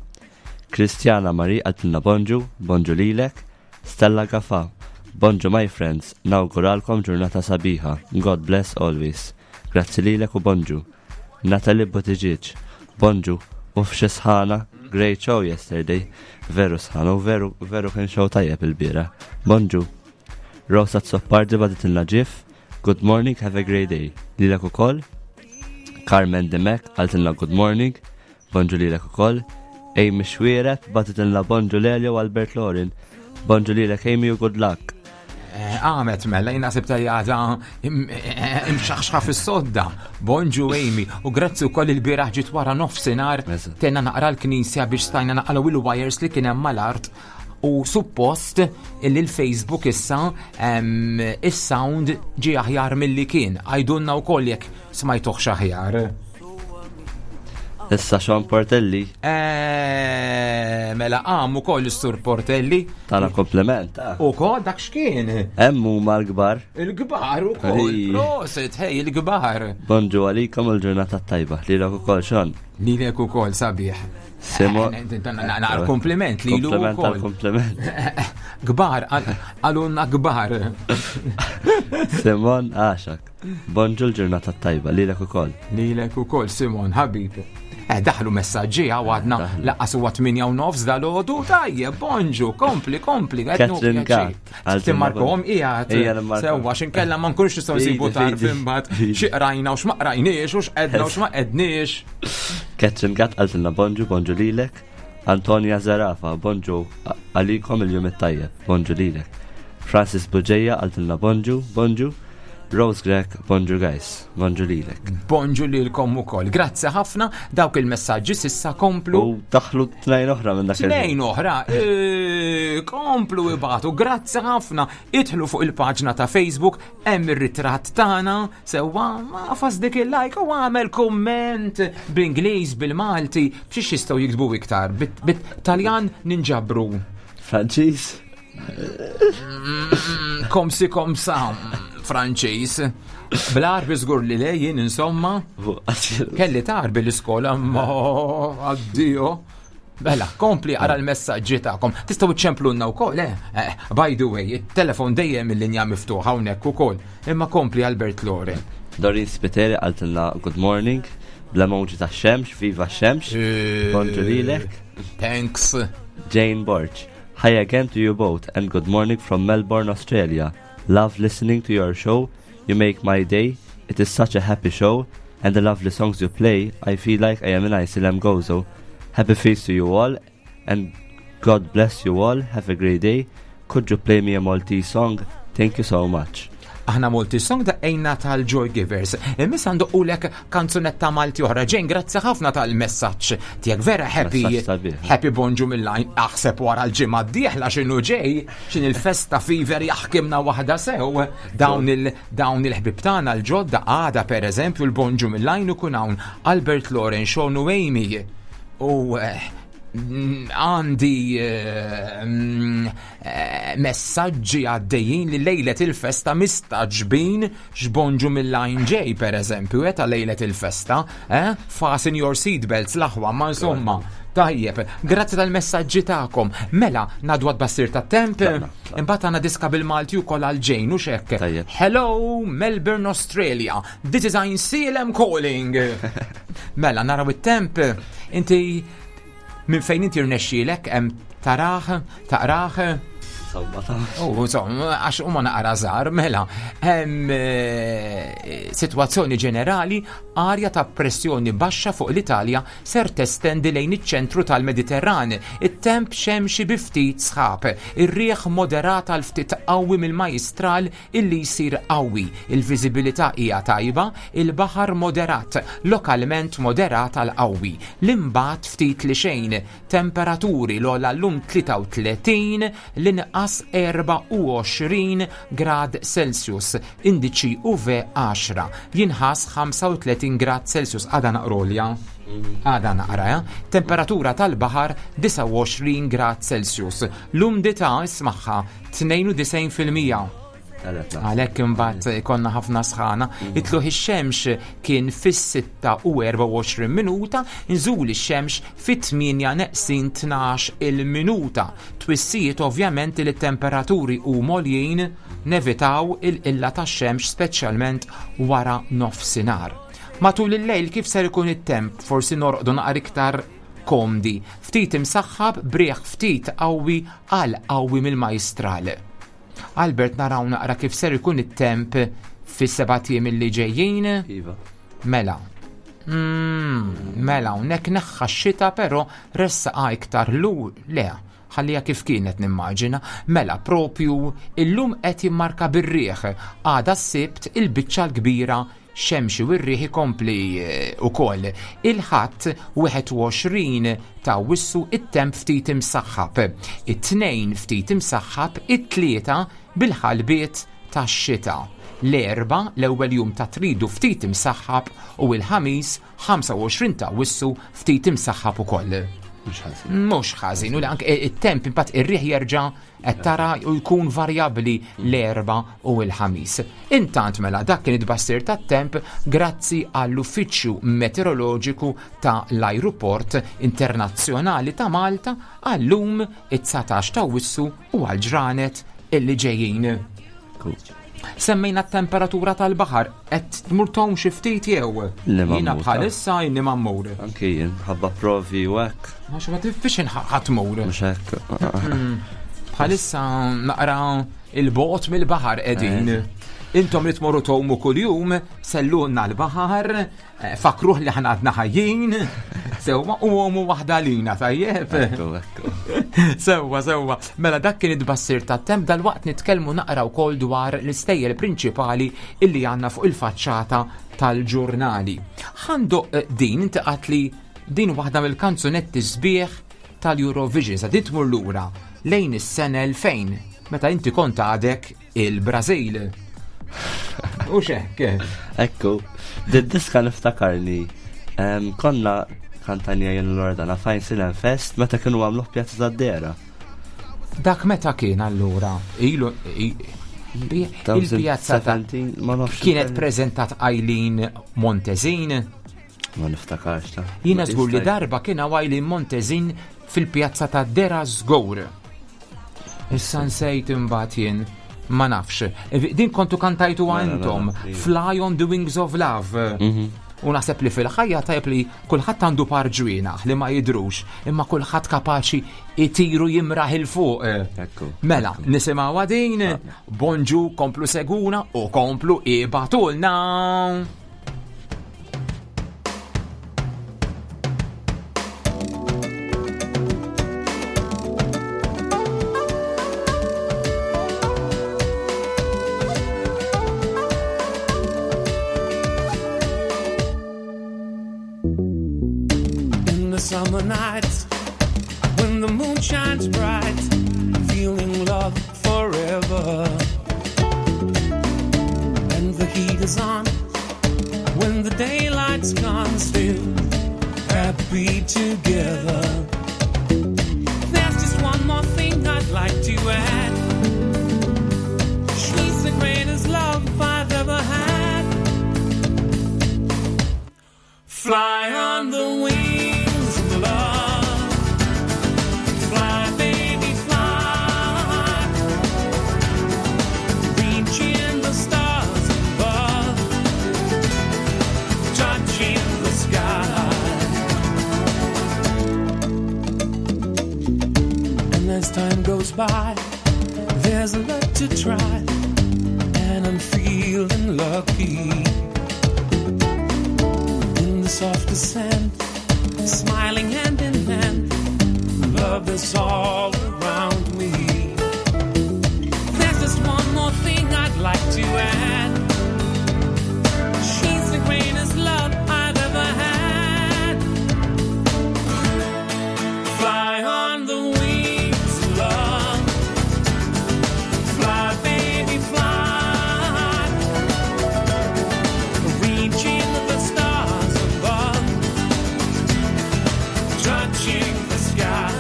Kristjana Marie qaltilna bonġu, bonġu lilek. Stella Gafa, bonġu my friends, nawguralkom ġurnata sabiħa. God bless always. Grazzi lilek u bonġu. Natalie Buttigieg, bonġu, u f'xi sħana, great show yesterday. Veru sħana u veru, veru kien show tajjeb il-bieraħ. Bonġu. Rosa Zoppardi bagħtitilna gif, good morning, have a great day. Lilek ukoll. Carmen Demek qaltilna good morning, bonġu lilek ukoll. Amy Xwiret bagħtitilna bonġu Lelio u Albert Lorin. Bonġu lilek Amy u good luck. Eh, Għamet mela, jina sibta li għada imxaħxħa fis-sodda. Bonġu Amy, u grazzi wkoll il-bieraħ ġiet wara nofsinhar Eżatt. tenna naqra l-knisja biex stajna naqalgħu il-wires li kien hemm mal-art u suppost illi l-Facebook issa em, is-sound ġi aħjar milli kien. Għajdunna wkoll jekk smajtuh aħjar. Issa Sean Portelli Eh, Mela għam ukoll is-Sur Portelli. tana kompliment. ah. Ukoll dak x'kien? Hemm huma l-kbar. Il-kbar ukoll. Ej. Prosit, hej, il-kbar. Bonġu għalikom il-ġurnata tajba. Lilek ukoll Sean. Lilek ukoll sabiħ. Simo. Naqra kompliment lilu Kompliment ukoll. tal-kompliment. Kbar, għalunna kbar. Simon Għaxak. Bonġu l-ġurnata tajba. Lilek ukoll. Lilek ukoll, Simon, ħabib. Eh, daħlu messaġġi għadna Daħlu. lanqas huwa tmienja u nofs dal-għodu, tajjeb, bonġu, kompli, kompli. qed nu Catherine pjaċir. Gatt. Timmarkom qiegħed. Ija nimmarkom. Sewwa x'inkella ma nkunx nistgħu nsibu Fidi, tarf fidi. imbagħad Fidi. xi qrajna u x'ma qrajniex u x'qedna u x'ma qedniex. Catherine Gatt qaltilna bonġu, bonġu lilek. Antonia Zarafa, bonġu għalikom il-jum it-tajjeb, bonġu lilek. Francis Buġeja qaltilna bonġu, bonġu. Rose Grek, bonġu guys, bonġu lilek. Bonġu lilkom ukoll. Grazzi ħafna dawk il-messaġġi s'issa komplu. U daħlu tnejn oħra minn dak il- Tnejn oħra, e, komplu ibagħtu, grazzi ħafna. Idħlu fuq il-paġna ta' Facebook, hemm ir-ritratt tagħna, sewwa agħfas dik il-like u għamel komment bl-Ingliż, bil-Malti, b'xiex jistgħu jiktbu iktar, bit-Taljan ninġabru. Franċiż? Comme ci comme ça, Franċiż. Bl-Għarbi żgur li lejjin, insomma. Kelli l-Għarbi l-iskola, ma addio. Bella, kompli ara l-messaġġi tagħkom. Tistgħu ċemplunna wkoll, eh? eh? By the way, it-telefon dejjem il-linja miftuħa hawnhekk ukoll. Imma kompli Albert Lore. Dorin Spiteri qaltilna good morning, bl-emoji ta' xemx, viva xemx, bonġu lilek. Thanks. Jane Borch. Hi again to you both and good morning from Melbourne, Australia. Love listening to your show. You make my day. It is such a happy show and the lovely songs you play. I feel like I am in Għajnsielem Gozo. Happy feast to you all and God bless you all. Have a great day. Could you play me a Maltese song? Thank you so much. Aħna Maltese song daqqejna tal-Joy Givers. Imma ndoqqulek kanzunetta Malti oħra. Jane, grazzi ħafna tal-messaġġ tiegħek vera happy. Messaġġ sabiħ. Happy bonġu mill-lajn. Aħseb wara l-ġimgħa d-dieħla x'inhu ġej, x'in il-festa fever jaħkimna waħda sew. Dawn il dawn il-ħbib tagħna l-ġodda għada per eżempju l-bonġu mill-lajn ikun hawn Albert Loren, Sean u Amy. U eh, mm, għandi eh, mm, eh, messaġġi għaddejjin li lejlet il-festa mistagħġbin x'bonġu mill-line ġej per eżempju, eh, ta' lejlet il-festa, eh? Fasten your seatbelts l-aħwa, ma insomma. Tajjeb, grazzi tal-messaġġi tagħkom. Mela, ngħaddu għat-tbassir tat-temp, imbagħad għandna diska bil-Malti wkoll għal Jane u xek. Tajjeb. Hello, Melbourne, Australia. This is Għajnsielem calling. Mela, naraw it-temp. Inti minn fejn inti rnexxielek hemm tarah, taqrah. Insomma, ta' U insomma, għax huma naqra żgħar, mela, hemm eh, sitwazzjoni ġenerali, arja ta' pressjoni baxxa fuq l-Italja ser testendi lejn iċ-ċentru tal-Mediterran. It-temp xemxi bi ftit sħab, ir-riħ moderat għal ftit qawwi mill-majstral illi jsir qawwi. Il-viżibilità hija tajba, il-baħar moderat, lokalment moderat għal qawwi. L-imbagħad ftit li xejn, temperaturi l-ogħla llum tlieta u tletin, l-inqas erbgħa u għoxrin grad Celsius, indiċi U V għaxra, jinħas ħamsa u tletin grad Celsius, għada naqrolja. Għada naqra, eh? Temperatura tal-baħar disgħa u għoxrin grad Celsius. L-umdità ismaħħa tnejn u disgħin fil-mija. Għalhekk imbagħad konna ħafna sħana. It-tluħ ix-xemx kien fis-sitta u erbgħa u għoxrin minuta, nżul ix-xemx fit-tmienja neqsin tnax il-minuta. Twissijiet ovvjament li t-temperaturi u moljin nevitaw il-qilla tax-xemx speċjalment wara nofsinhar. Matul il-lejl kif ser ikun it-temp, forsi norqdu naqra iktar komdi. Ftit imsaħħab brieħ ftit qawwi għal qawwi mill-majstral. Albert, naraw naqra kif ser ikun it-temp fis-sebat ijiem li ġejjin. Iva. Mela. Mm, mela, hawnhekk neħħa x-xita però ressaqa iktar lu le, ħallija kif kienet nimmaġina. Mela, propju illum qed jimmarka bir-riħ. Għada s-Sibt il-biċċa l-kbira xemxi u r-riħ ikompli, eh, ukoll. Il-Ħadd wieħed u għoxrin ta' Awwissu it-temp ftit imsaħħab. It-Tnejn ftit imsaħħab, it-Tlieta bil-ħalbiet tax-xita. L-Erbgħa l-ewwel jum ta' tridu ftit imsaħħab u l-Ħamis ħamsa u għoxrin ta' Awwissu ftit imsaħħab ukoll. Mhux ħażin. Mhux ħażin, u li anke it-temp imbagħad ir-riħ jerġa' qed tara u jkun varjabbli l-Erbgħa u l-Ħamis. Intant mela dak kien it-tbassir tat-temp grazzi għall-Uffiċċju Meteoroloġiku ta' l-Ajruport Internazzjonali ta' Malta għallum it-dsatax ta' Awwissu u għall-ġranet illi ġejjin. Cool. Semmejna t-temperatura tal-baħar, qed tmur tgħum xi ftit jew? Li ma Jiena mmur, bħalissa inni ma mmur. Anki jien, ħabba provi u hekk. Għax ma tifix ħadd tmur. Mhux hekk. Mm. Bħalissa naqra il-bogħod mill-baħar qegħdin. Eh. Intom li tmorru tgħumu kuljum, sellunna l-baħar, eh, fakruh li ħana għadna ħajjin, sewwa u għomu waħda lina, tajjeb? Ekku, ekku. Sewwa, sewwa. Mela dak kien it-tbassir tat-temp, dal-waqt nitkellmu naqra wkoll dwar l-istejjer prinċipali illi għandna fuq il-faċċata tal-ġurnali. Ħandoq, eh, din, inti qalt li din waħda mill-kanzunetti sbieħ tal-Eurovision, sa din tmur lura lejn is-sena elfejn, meta inti kont għadek il-Brażil. U xek? Ekku, did-diska niftakarni. Em, konna kantanja jien l-Ordana f'Għajnsielem Fest meta kienu għamluh Pjazza tad-Dera. Dak meta kien allura? Ilu, i-, bi-, il-pjazza ta' Seventeen, ma nafx kienet il-kelma. prezentat Eileen Montesin? Ma niftakarx ta' Jiena Ma żgur li jista' darba kien hawn Eileen Montesin fil-pjazza ta' Dera żgur. Issa nsejt imbagħad jien. Ma nafx. E, din kontu kantajtu Mela, mela, għandhom. iva. Fly on the Wings of Love. Mhm. U naħseb li fil-ħajja tajjeb li kulħadd għandu par ġwienaħ li ma jidrux, imma kulħadd kapaċi itiru jimraħ il fuq. Ekku. Mela, nisimgħu din, bonġu, komplu seguna u komplu ibatulna. Summer nights, when the moon shines bright, feeling love forever. And the heat is on, when the daylight's gone, still happy together. There's just one more thing I'd like to add. She's the greatest love I've ever had. Fly on the wings of love. Fly, baby, fly. Reaching the stars above, touching the sky. And as time goes by, there's a lot to try, and I'm feeling lucky. In the softest sand, smiling hand in hand, love is all around me. There's just one more thing I'd like to add. She's the greatest love I've ever had. Fly on the wings of love. Fly, baby, fly. Reaching the stars above, touching the sky.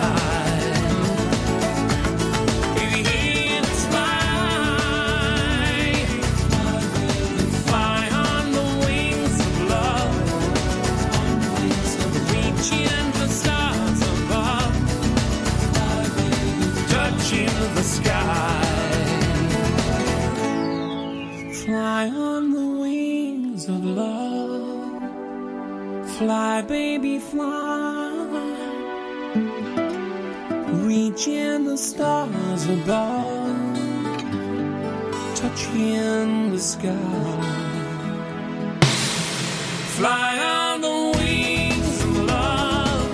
the sky. Fly on the wings of love. Fly, baby, fly. Reaching the stars above. Touching the sky. Fly on the wings of love.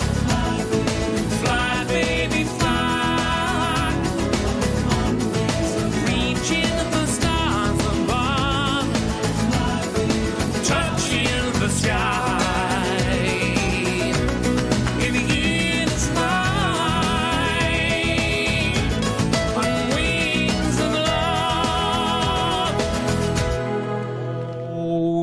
Fly, baby, fly. Reaching the stars above. Touching the sky. If you fly on wings of love.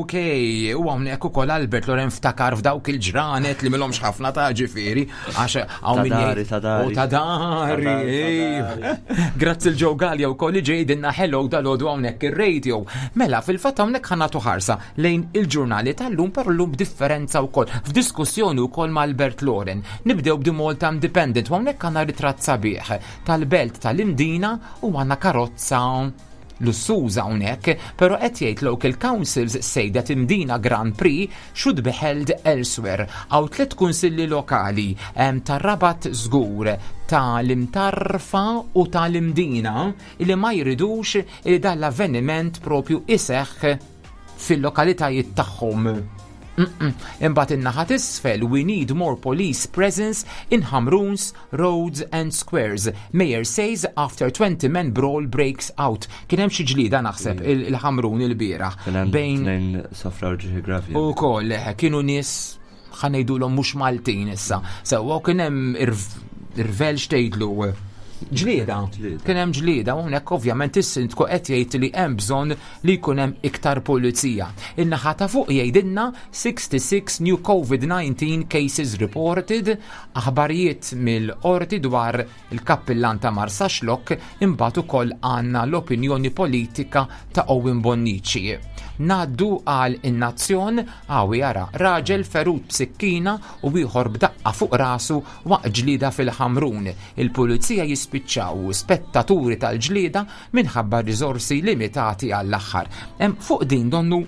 Okej, u hawnhekk ukoll Albert Loren ftakar f'dawk il-ġranet li m'ilhomx ħafna ta' ġifieri, għax hawn min Ta' dari, jgħid- ta' dari. U ta' dari, Ta' dari, ej. Grazzi 'l Joe Gallia wkoll li ġejdinna hello dalgħodu hawnhekk ir-radio. Mela, fil-fatt hawnhekk ħa nagħtu ħarsa lejn il-ġurnali tal-lum però llum b'differenza wkoll, f'diskussjoni wkoll ma' Albert Loren. Nibdew b'The Malta Independent u hawnhekk għandna ritratt sabiħ tal-belt tal-Imdina u għandna karozza lussuża hawnhekk, però qed jgħid local councils say that Imdina Grand Prix should be held elsewhere. Hawn tliet kunsilli lokali em, tar-Rabat żgur, tal-Imtarfa u tal-Imdina li ma jridux li dan l-avveniment propju iseħħ fil-lokalitajiet tagħhom. Mm-mm. Imbagħad in-naħa t'isfel, we need more police presence in Hamrun's roads and squares. Mayor says after twenty men brawl breaks out. Kien hemm xi ġlida naħseb il- il-Ħamrun il-bieraħ. Kien hemm Bejn tnejn sofraw ġrieħi gravi. U koll, eħe, kienu nies ħa ngħidulhom mhux Maltin issa. Sewwa kien hemm irv- irvel xtejdlu ġlieda. Ġlieda. Kien hemm ġlieda u hawnhekk ovvjament is-sindku qed jgħid li hemm bżonn li jkun hemm iktar pulizija. In-naħa ta' fuq jgħidilna sixty-six new COVID nineteen cases reported, aħbarijiet mill-qorti dwar il-kappillan ta' Marsaxlokk, imbagħad ukoll għandna l-opinjoni politika ta' Owen Bonnici. Ngħaddu għal In-Nazzjon, hawn jara raġel ferut b'sikkina u ieħor b'daqqa fuq rasu waqt ġlida fil-Ħamrun. Il-pulizija jispiċċaw spettaturi tal-ġlida minħabba riżorsi limitati għall-aħħar. Hemm fuq din donnu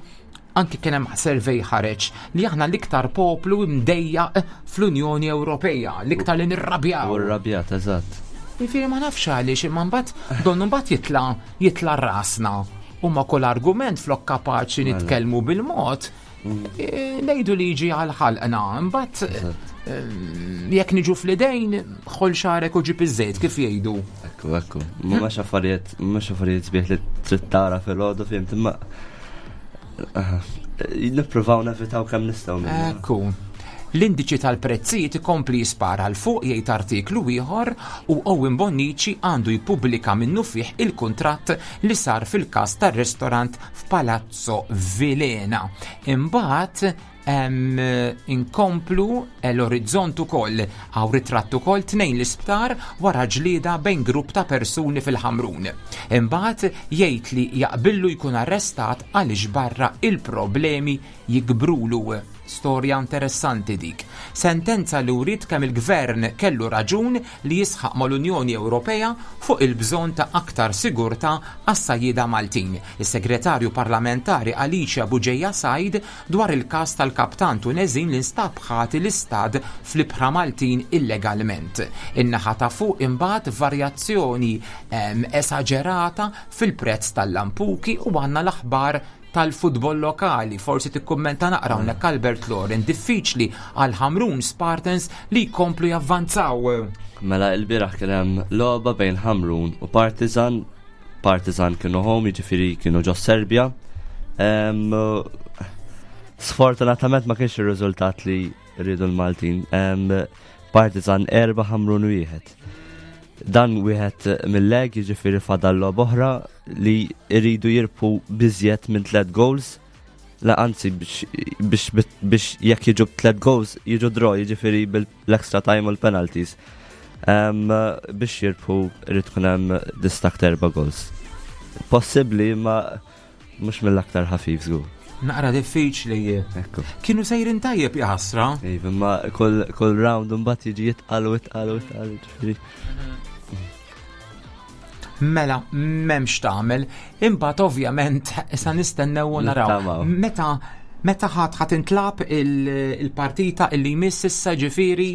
anki kien hemm survey ħareġ li aħna l-iktar poplu mdejjaq fl-Unjoni Ewropea, l-iktar li nirrabjaw. U rrabjat, eżatt. Jiġifieri ma nafx għaliex imma mbagħad donnu mbagħad jitla jitla rasna. U ma kull argument flok kapaċi Mela. nitkellmu bil-mod, e, ngħidu liġi għal ħalqna. Mbagħad eh, jekk niġu fl-idejn, ħoll xagħrek u ġib iż-żejt kif jgħidu. Ekku, ekku. Mhux affarijiet, mhux affarijiet sbieħ li trid tara fil-għodu fhimt, imma aha, nippruvaw nevitaw kemm nistgħu minnu. Ekku. L-indiċi tal-prezzijiet ikompli jispara 'l fuq jgħid artiklu ieħor u Owen Bonnici għandu jippubblika minnu fih il-kuntratt li sar fil-każ tar-restorant f'Palazzo Vilena. Imbagħad em, inkomplu l-Orizzont ukoll hawn ritratt ukoll tnejn l-isptar wara ġlieda bejn grupp ta' persuni fil-Ħamrun. Imbagħad jgħid li jaqbillu jkun arrestat għaliex barra il-problemi jikbrulu. Storja interessanti dik. Sentenza li wrid kemm il-gvern kellu raġun li jisħaq mal-Unjoni Ewropea fuq il-bżonn ta' aktar sigurtà għas-sajjieda Maltin. Is-segretarju parlamentari Alicia Bugeja Said dwar il-każ tal-kaptan Tuneżin li nstab ħati li stad fl-ibħra Maltin illegalment. In-naħa ta' fuq imbagħad varjazzjoni em, esaġerata fil-prezz tal-lampuki u għandna l-aħbar tal-futbol lokali. Forsi tikkummenta naqra hawnhekk Albert Loren, diffiċli għal Ħamrun Spartans li jkomplu javvanzaw. Mela il-bieraħ kien hemm logħba bejn Ħamrun u Partizan. Partizan kienu home, jiġifieri kienu ġo Serbja. Em, Sfortunatament ma kienx ir-riżultat li rridu l-Maltin. Em, Partizan erba' Ħamrun wieħed. Dan wieħed mill-leg, jiġifieri fadal logħba oħra li jridu jirbħu b'iżjed minn tliet goals. La anzi biex biex biex jekk jiġu tliet goals jiġu draw, jiġifieri bil-extra time u l-penalties. Um, biex jirbħu irid tkun hemm distakk erba' goals. Possibbli ma mhux mill-aktar ħafif żgur. Naqra diffiċli. Ekku. Kienu sejrin tajjeb jaħasra. Iva, ma kull kull round mbagħad jiġi jitqal u jitqal u jitqal, jiġifieri. Mela, m'hemmx tagħmel. Imbagħad ovvjament issa nistennew u naraw. Nittamaw. Meta meta ħadd ħadd intlab il- il-partita illi jmiss issa ġifieri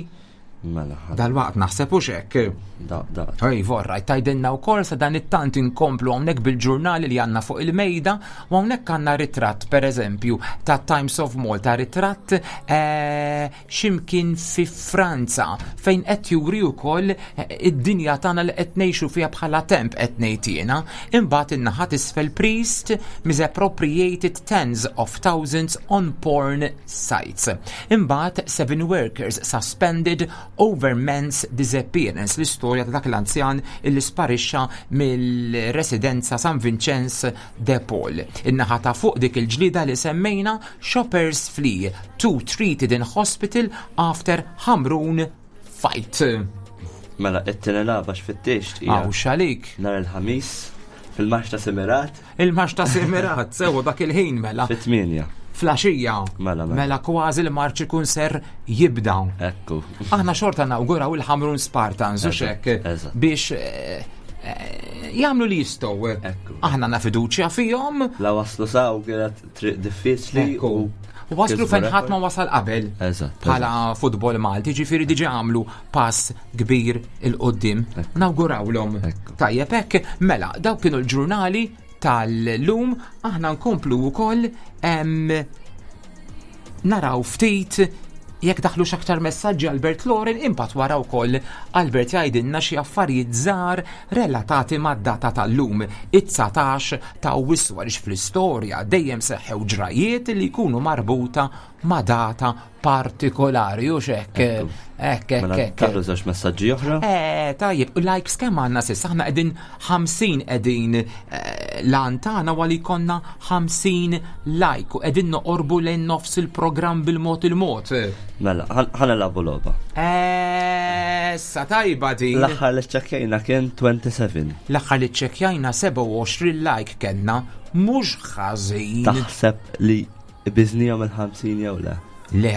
Mela, ħa- dal-waqt naħseb hux hekk. Da, da. Ej, vorra, tajdinna u kol sa dan it-tant inkomplu hawnhekk bil-ġurnali li għandna fuq il-mejda u hawnhekk għandna ritratt, per eżempju, ta' Times of Malta, ritratt eh, ximkien fi Franza fejn qed juri wkoll eh, id-dinja tagħna li qed ngħixu fiha bħala temp qed ngħid jiena. Imbagħad in-naħa t'isfel priest misappropriated tens of thousands on porn sites. Imbagħad seven workers suspended over man's disappearance, l-istorja ta' dak l-anzjan illi sparixxa mill-residenza San Vincenz de Paul. In-naħa ta' fuq dik il-ġlida li semmejna shoppers flee two treated in hospital after Hamrun fight. Mela, it-tieni lagħba x'fittixt hija Aw xalik. nhar il-ħamis fil-marx ta' Semirat Il-marx ta' Semirat, sewa dak il-ħin mela. fit-tmienja. Flaxija. Mela, mela. Mela kważi l-marċ ikun ser jibda. Ekku. Aħna xorta nawguraw il-Hamrun Spartans, u Eżatt, xek, eżatt. biex eh, eh, jagħmlu li jistgħu. Ekku. Aħna na fiduċja fihom. La waslu saw kienet triq diffiċli Ekku. u U waslu kisbu fejn ħadd rekord. ma wasal qabel. Eżatt, Bħala futbol Malti, ġifieri diġà għamlu pass kbir il-qoddim. Ekku. Nawgurawlhom. Ekku. Tajjeb hekk, mela, dawk kienu l-ġurnali tal-lum, aħna nkomplu wkoll em, naraw ftit jekk daħlu aktar messaġġi Albert Loren imbagħad wara wkoll Albert jgħidilna xi affarijiet żgħar relatati mad-data tal-lum it-dsatax ta' Awwissu għaliex fl-istorja dejjem seħħew ġrajiet li jkunu marbuta ma' data partikolari u x'hekk. Ekku. Hekk, hekk, Mela, hekk. daħlu żewġ messaġġi oħra. Eh, tajjeb, u likes kemm għandna s'issa? Aħna qegħdin ħamsin qegħdin eh, lan tagħna għali konna ħamsin like u qegħdin noqorbu lejn nofs il-programm bil-mod il-mod. Mela, ħa nilagħbu logħba. Eh, Issa tajba din. L-aħħar li ċċekkjajna kien twenty-seven. L-aħħar li ċċekkjajna sebgħa u għoxrin like kellna, mhux ħażin. Taħseb li biżnihom il-ħamsin jew le? Le.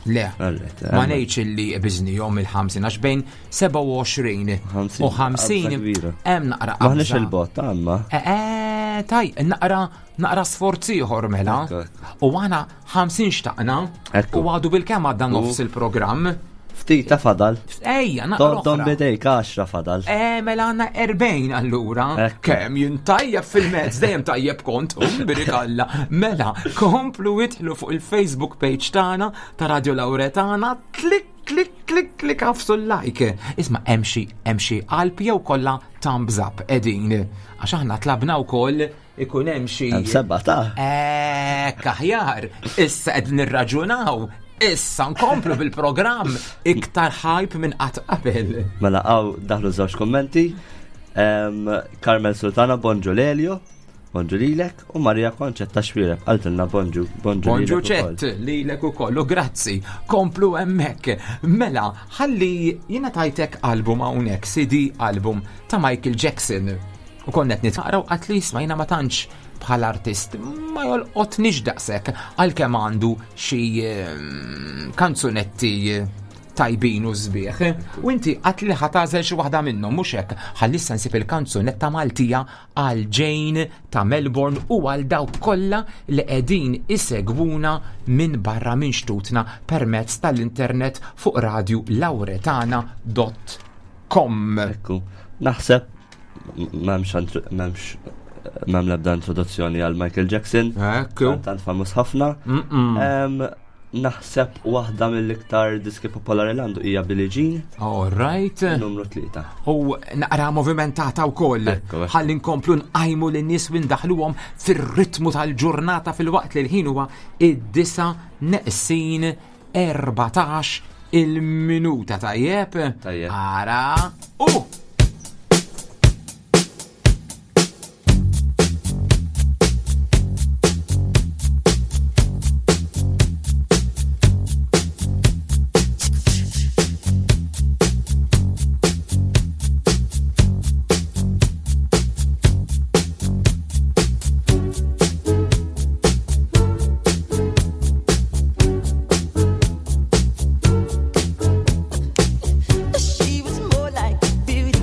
Le. Alright, Ma em, ngħidx illi biżnihom il-ħamsin għax bejn sebgħa u għoxrin Ħamsin, u ħamsin qabża kbira. hemm naqra Maħniex qabża. il-bot, għamma. Eh, eh, taj, naqra naqra sforzi ieħor mela. Ekku, ekku. U għana ħamsin xtaqna Ekku. u għadu bil-kemm għadda nofs il-programm. Ftit ta' fadal. Ejja, naqra Don don oħra. bidejk għaxra fadal. Eh, mela għanna erbgħin allura. Ekku. Kemm jien tajjeb fil-mezz, dejjem tajjeb kont, umbrik Alla. Mela, komplu idħlu fuq il-Facebook page tagħna ta' Radio Lauretana, klik, klik, klik, klik, għafsu l-like. Isma' hemm xi hemm xi qalb jew kollha thumbs up qegħdin. Għax aħna tlabna wkoll ikun hemm xi Hemm seba' ta' Ekk aħjar, issa qed nirraġunaw, issa nkomplu bil-programm iktar hype minn qatt qabel. Mela għaw daħlu żewġ kommenti. Em, Carmel Sultana, bonġu Lelio, bonġu lilek, u Maria Konċetta Xwireb, qaltilna bonġu, bonġu Bonġu lilek ukoll. ċett, lilek ukoll, u grazzi, komplu hemmhekk. Mela, ħalli jiena tajtek album hawnhekk, C D album ta' Michael Jackson. U konnet nitqaraw at least ma jiena ma tantx bħala artist ma jolqotnix daqshekk għalkemm għandu xi ehm, kanzunetti tajbin u sbieħ. U inti għat li ħa tagħżel xi waħda minnhom mhux hekk. Ħalli issa nsib il-kanzunetta Maltija għal Jane ta' Melbourne u għal dawk kollha li qegħdin isegwuna minn barra minn xtutna permezz tal-internet fuq radio lauretana punt com. Ekku, naħseb m'hemmx antr- m'hemmx m'hemm l-ebda introduzzjoni għal Michael Jackson. Ekku. Tant famuż ħafna. Em, Naħseb waħda mill-iktar diski popolari l għandu hija Billie Jean, All right. numru tlieta. U naqra movimentata wkoll. Ekku, ekku. Ħalli nkomplu nqajmu lin-nies u ndaħluhom fir-ritmu tal-ġurnata fil-waqt li l-ħin huwa id-disa neqsin erbatax il-minuta tajjeb. Tajjeb. Ara. U! She was more like beauty.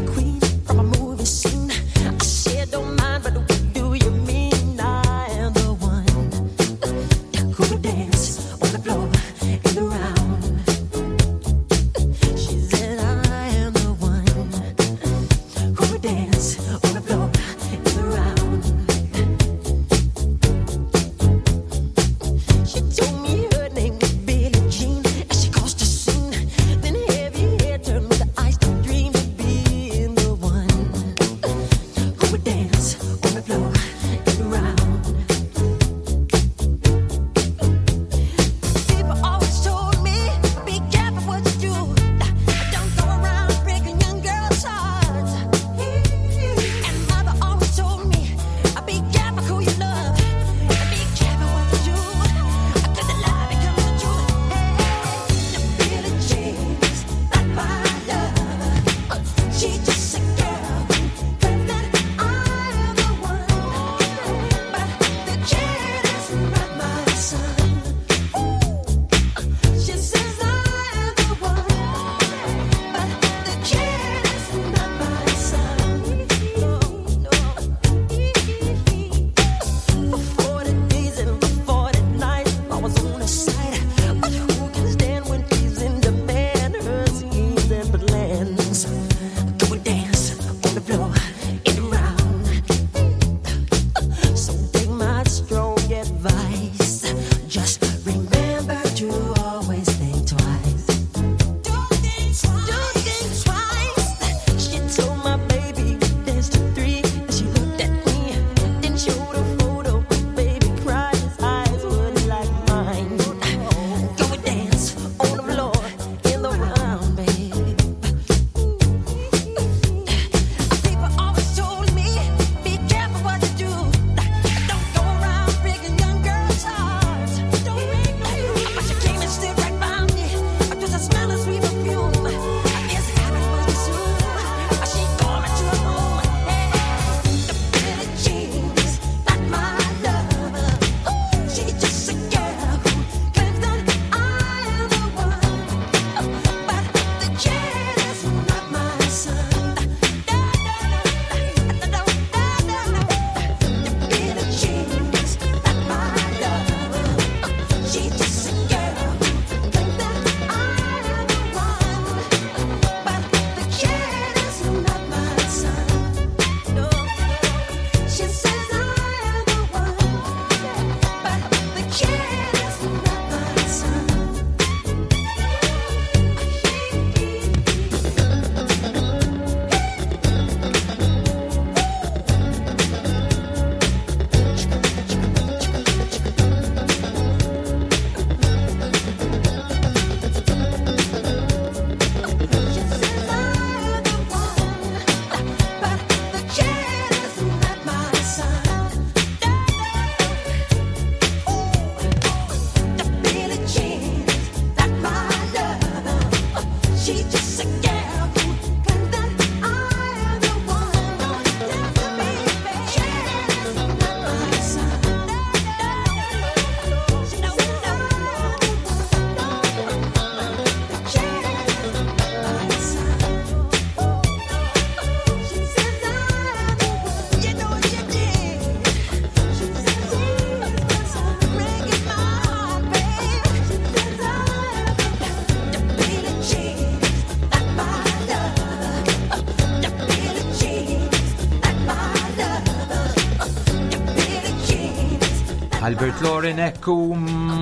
Albert Loren ekku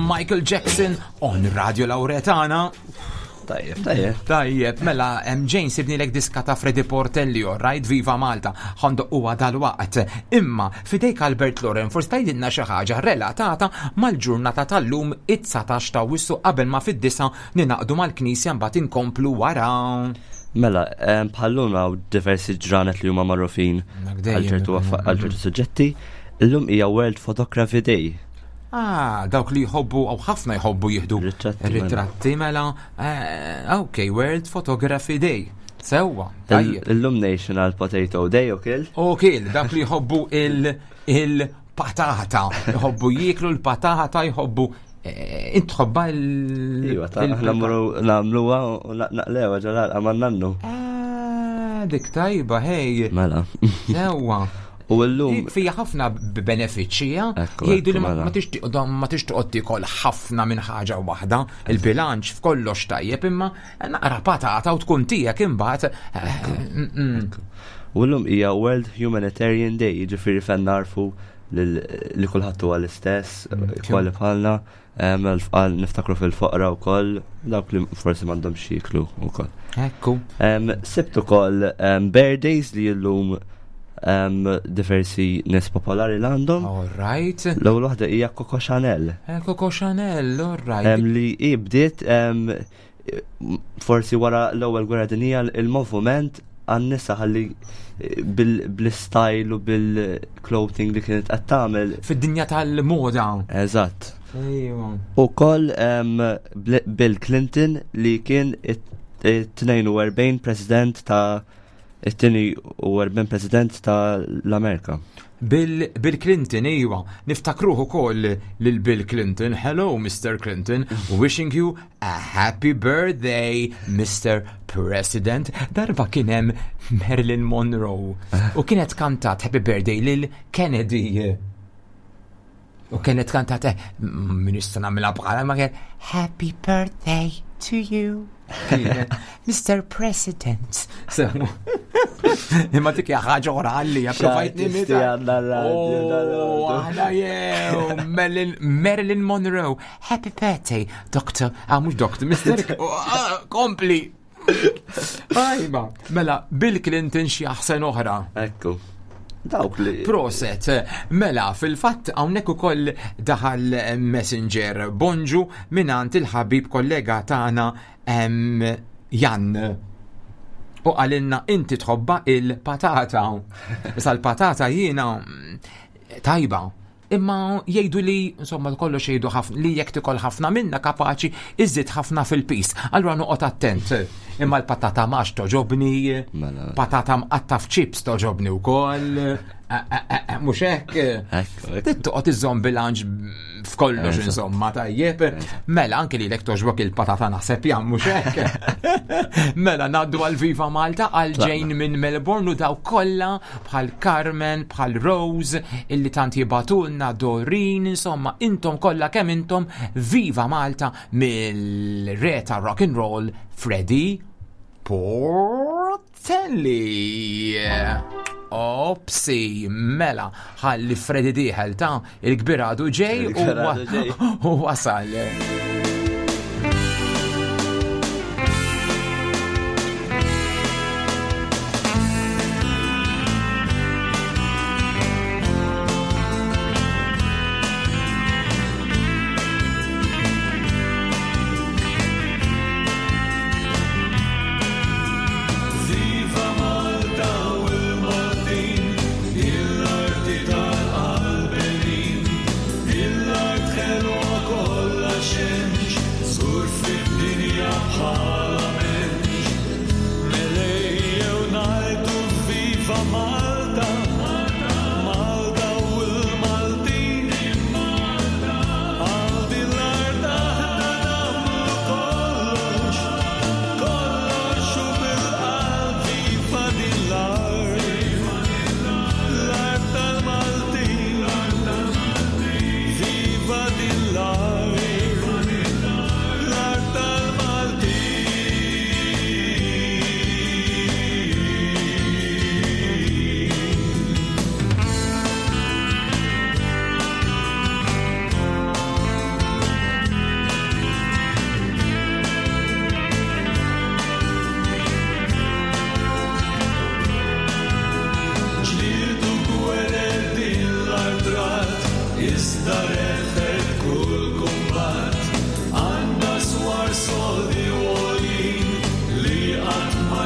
Michael Jackson on Radio Lauretana. Tajjeb, tajjeb. Tajjeb, mela, em, Jane sibni lek diska ta' Freddy Portelli, right, Viva Malta, ħandoq huwa dal-waqt. Imma, fidejk Albert Loren, forsi tgħidilna xi ħaġa relatata mal-ġurnata tal-lum it-dsatax ta' Awwissu qabel ma fid-disa ninaqdu mal-Knisja mbagħad inkomplu wara. Mela, em, bħallum hawn diversi ġranet li huma magħrufin Dak dejjem għal ċertu ikun, affa- għal ċertu suġġetti. Illum hija World Photography Day. Ah, dawk li jħobbu, aw ħafna jħobbu jieħdu Ritratti, mela. ritratti mela. Eh, ok, World Photography Day. Sewwa, tajjeb. Illum National Potato Day ukoll. Ok, dak li jħobbu il- il-patata, jħobbu jieklu l-patata, jħobbu eh, int tħobba il- Iva, ta' il- aħna mmorru nagħmluha u naqlewha ġalal għaman nannu. Ah, dik tajba, hej. Mela. Sewwa. U llum Fija ħafna benefiċċji, ja? Ekku, Jgħidu li ekku, ma mela. ma tixtieq ma tix toqgħod tiekol ħafna minn ħaġa waħda, il-bilanċ f'kollox tajjeb, imma naqra patata u tkun tiegħek imbagħad. eh, mm, mm. U llum hija World Humanitarian Day, jiġifieri fejn narfu lil- li kulħadd huwa l-istess, kwali bħalna, em, għal niftakru fil-foqra wkoll, dawk li forsi m'għandhomx jieklu wkoll. Ekku. Em, Sibt ukoll em, birthdays li llum em, diversi nies popolari l għandhom. All right. L-ewwel waħda hija Coco Chanel. Eh, Coco Chanel, all right. Em, li hi bdiet em, forsi wara l-ewwel gwerra dinjija il-moviment għan-nisa ħalli bil- bl-style u bil-clothing li kienet qed tagħmel. Fid-dinja tal-moda. Eżatt. Ejwa. U koll em, Bl- Bill Clinton li kien it-tnejn u erbgħin president ta' it-tieni u erbgħin president ta' l-Amerika. Bill, Bill Clinton, iwa, niftakruh ukoll lil Bill Clinton. Hello, Mister Clinton, wishing you a happy birthday, Mister President. Darba kien hemm Marilyn Monroe u kienet kantat Happy Birthday lil Kennedy. U kienet kantat, eh, min nista' nagħmilha bħala ma kien Happy Birthday to you, Mister President. So, imma dik hija ħaġa oħra għalli, provajt nimita. Oh, aħna jew, Marilyn, Marilyn Monroe. Happy birthday, Doctor. Ah, mhux Doctor, Mister Oh, ah, Kompli. Ajma, mela, Bill Clinton xi aħsen oħra. Ekku. Dawk li. Proset, mela, fil-fatt hawnhekk ukoll daħal Messenger bonġu mingħand il-ħabib kollega tagħna em, Jan. U qalilna inti tħobba il-patata. Issa l-patata jiena mm, tajba. Imma jgħidu li, insomma, kollox jgħidu ħafna, li jekk tikol ħafna minna kapaċi iżid ħafna fil-pis. Allura noqgħod attent. Imma l-patata max toġobni, Mela. patata mqatta f'chips toġobni wkoll. Eh, eh, eh, eh, Mhux hekk. Ekku, ekku. Trid toqgħod iżżomm bilanċ f'kollox Eżatt. insomma tajjeb. Mela anke lilek toġbok il-patata naħseb jam mhux hekk. Mela ngħaddu għal Viva Malta għal Jane minn Melbourne u daw kollha bħal Carmen, bħal Rose, illi tant jibatulna Dorin, insomma intom kollha kemm intom Viva Malta mill-re ta' rock and roll Freddie Portelli. Opsi, mela, ħalli Freddy dieħel ta' il-kbir għadu ġej u Il-kbir għadu ġej. u wasal. Viva Malta u l-Maltin, il-arti tal-qalbenin, il-art ħelwa kollha xejn.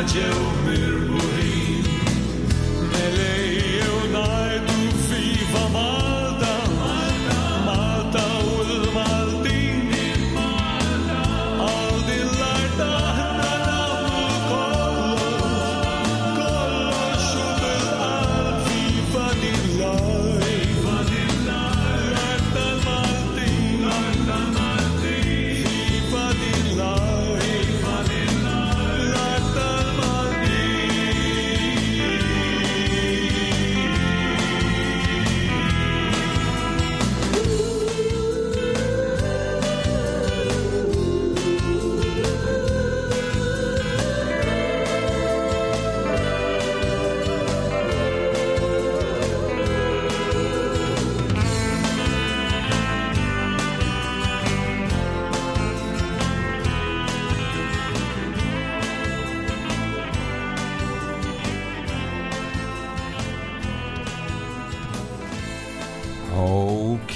ġew mirbuħin. Mela ejjew ngħidu viva Malta, Malta u l-Maltin. Għal din l-art aħna nagħmlu kollox, kollox u bil-qalb viva din l-art. L-art tal-Maltin, viva din l-art. L-art tal-Maltin. Ok,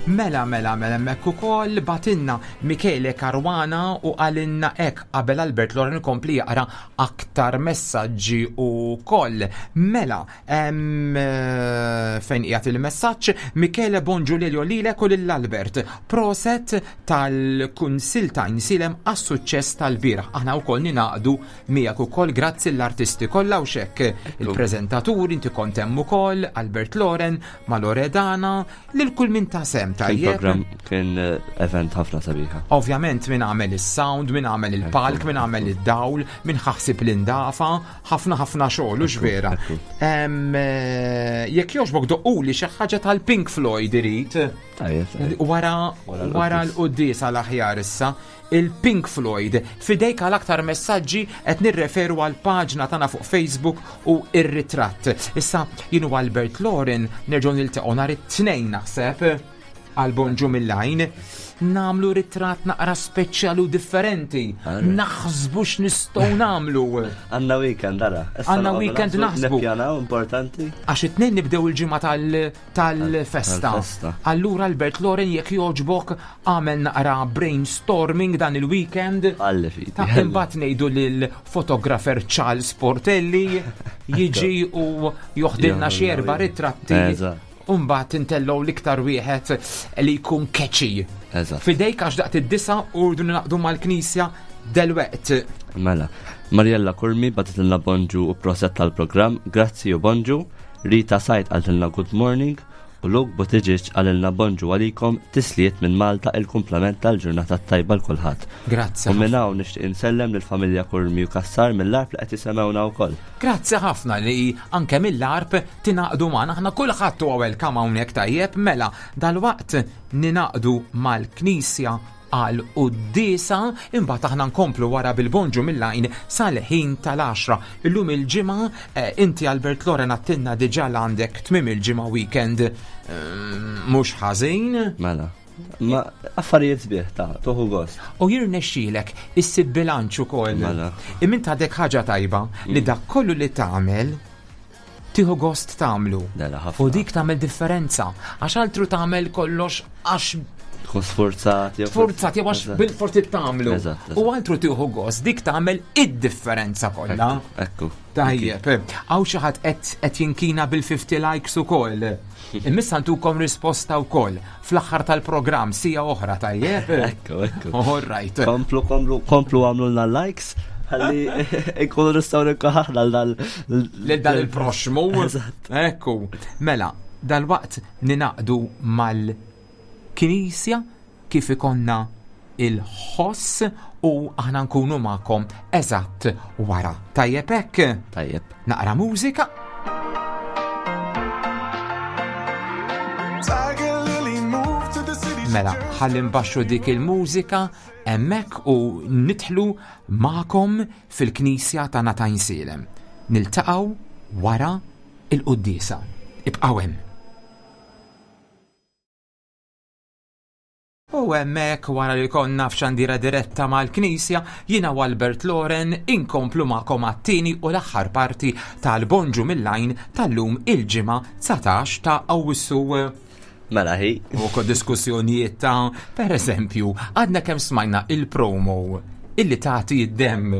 mela, mela, mela, hemmhekk ukoll batinna Michele Caruana u għalinna ek qabel Albert Loren kompli jaqra aktar messaġġi u koll. Mela, em, eh, fejn qiegħed il-messaġġ, Michele bonġu lilju lilek u lil Albert. Proset tal-Kunsil ta' Insilem għas-suċċess tal-bieraħ. Aħna wkoll ninaqdu miegħek ukoll grazzi l-artisti kollha u xekk il-preżentaturi inti kont hemm ukoll Albert Loren, ma Loredana, lil kull min ta' sem Kien tajjeb. program kien eh, event ħafna sabiħa. Ovvjament min għamel is-sound, min għamel il-palk, min għamel id-dawl, min ħaħsib l-indafa, ħafna ħafna xogħol u vera. ekku. Em, eh, Jekk jogħġbok doqquli xi ħaġa tal-Pink Floyd irid. Tajjeb, tajjeb. Wara Wara l-quddies. wara l-quddies għal aħjar issa, il-Pink Floyd fidejk għal aktar messaġġi qed nirreferu għal paġna tagħna fuq Facebook u ir-ritratt. Issa jien u Albert Loren nerġgħu niltaqgħu nhar it-tnejn naħseb għal Bonġu mill-lajn namlu ritratt naqra speċjali u differenti. Alright. Naħsbu x'nistgħu namlu. Għanna weekend, ara. Issa Għanna noqogħdu weekend naħsbu. Nippjanaw, importanti. Għax it-tnejn nibdew il-ġimgħa tal- tal-festa. Tal-festa. Allura Albert Loren jekk jogħġbok għamel naqra brainstorming dan il-weekend. Għalli fidi. Ta' imbagħad ngħidu lil fotografer Charles Portelli jiġi u joħdilna xi erba' ritratti. Eżatt. U mbagħad intellgħu l-iktar wieħed li jkun catchy. Eżatt. Fidejk għax daqt id-disa u rridu naqdu mal-knisja delweqt. Mela, Mariella Kurmi batitilna bonġu u proset tal-programm, grazzi u bonġu, Rita Sajt għaltilna good morning, u Luke Buttigieg għalilna bonġu għalikom tisliet minn Malta il-kumplament tal-ġurnata tajba l-kulħadd. Grazzi. U minn hawn nixtieq insellem lill-familja Kurmi u Kassar mill-arb li qed jisemgħuna wkoll. Grazzi ħafna li anke mill-arb tinaqdu magħna aħna kulħadd huwa welcome hawnhekk tajjeb mela dalwaqt ninaqdu mal-Knisja għal quddiesa imbagħad aħna nkomplu wara bil-bonġu mill-lajn sal-ħin tal-għaxra. Illum il-ġimgħa eh, inti Albert Loren għattinna diġà l għandek tmiem il-ġimgħa weekend eh, mhux ħażin. Mela. Ma affarijiet sbieħ ta' toħu gost. U jirnexxielek issib bilanċ ukoll. Mela. Imma għadek ħaġa tajba li dak kollu li tagħmel tieħu gost tagħmlu. Dela ħafna. U dik tagħmel differenza għax altru tagħmel kollox għax Tkun sforzat. jew- sforzat jew għax Eżatt. bil-forti tagħmlu. Eżatt, eżatt. U altru tieħu gost dik tagħmel id-differenza kollha. Ekku. Tajjeb, għaw xi ħadd qed qed jinkina bil-fifty likes ukoll. Imissa ntukom risposta wkoll fl-aħħar tal-programm sija oħra tajjeb. Ekku, ekku. All right. Komplu, komplu, komplu għamlulna likes. Ħalli ikunu nistgħu nikkoħaħna l-dal. Lil dan il-proxmu. Eżatt. Ekku. Mela, dal-waqt ninaqdu mal-Knisja kif ikonna il-ħoss u aħna nkunu magħkom eżatt wara. Tajjeb hekk? Tajjeb. Naqra mużika. Tiger Lily moved to the city. Mela, ħalli nbaxxu dik il-mużika hemmhekk u nidħlu magħkom fil-Knisja ta' Għajnsielem. Niltaqgħu wara il-quddiesa. Ibqgħu hemm. U hemmhekk wara li konna f'xandira diretta mal-Knisja, jiena u Albert Loren inkomplu magħkom għat-tieni u l-aħħar parti tal-Bonġu mill-lajn tal-lum il-ġimgħa dsatax ta' Awwissu. Mela hi. U ko diskussjonijiet ta' per eżempju, għadna kemm smajna il-promo. illi tagħti id-demm.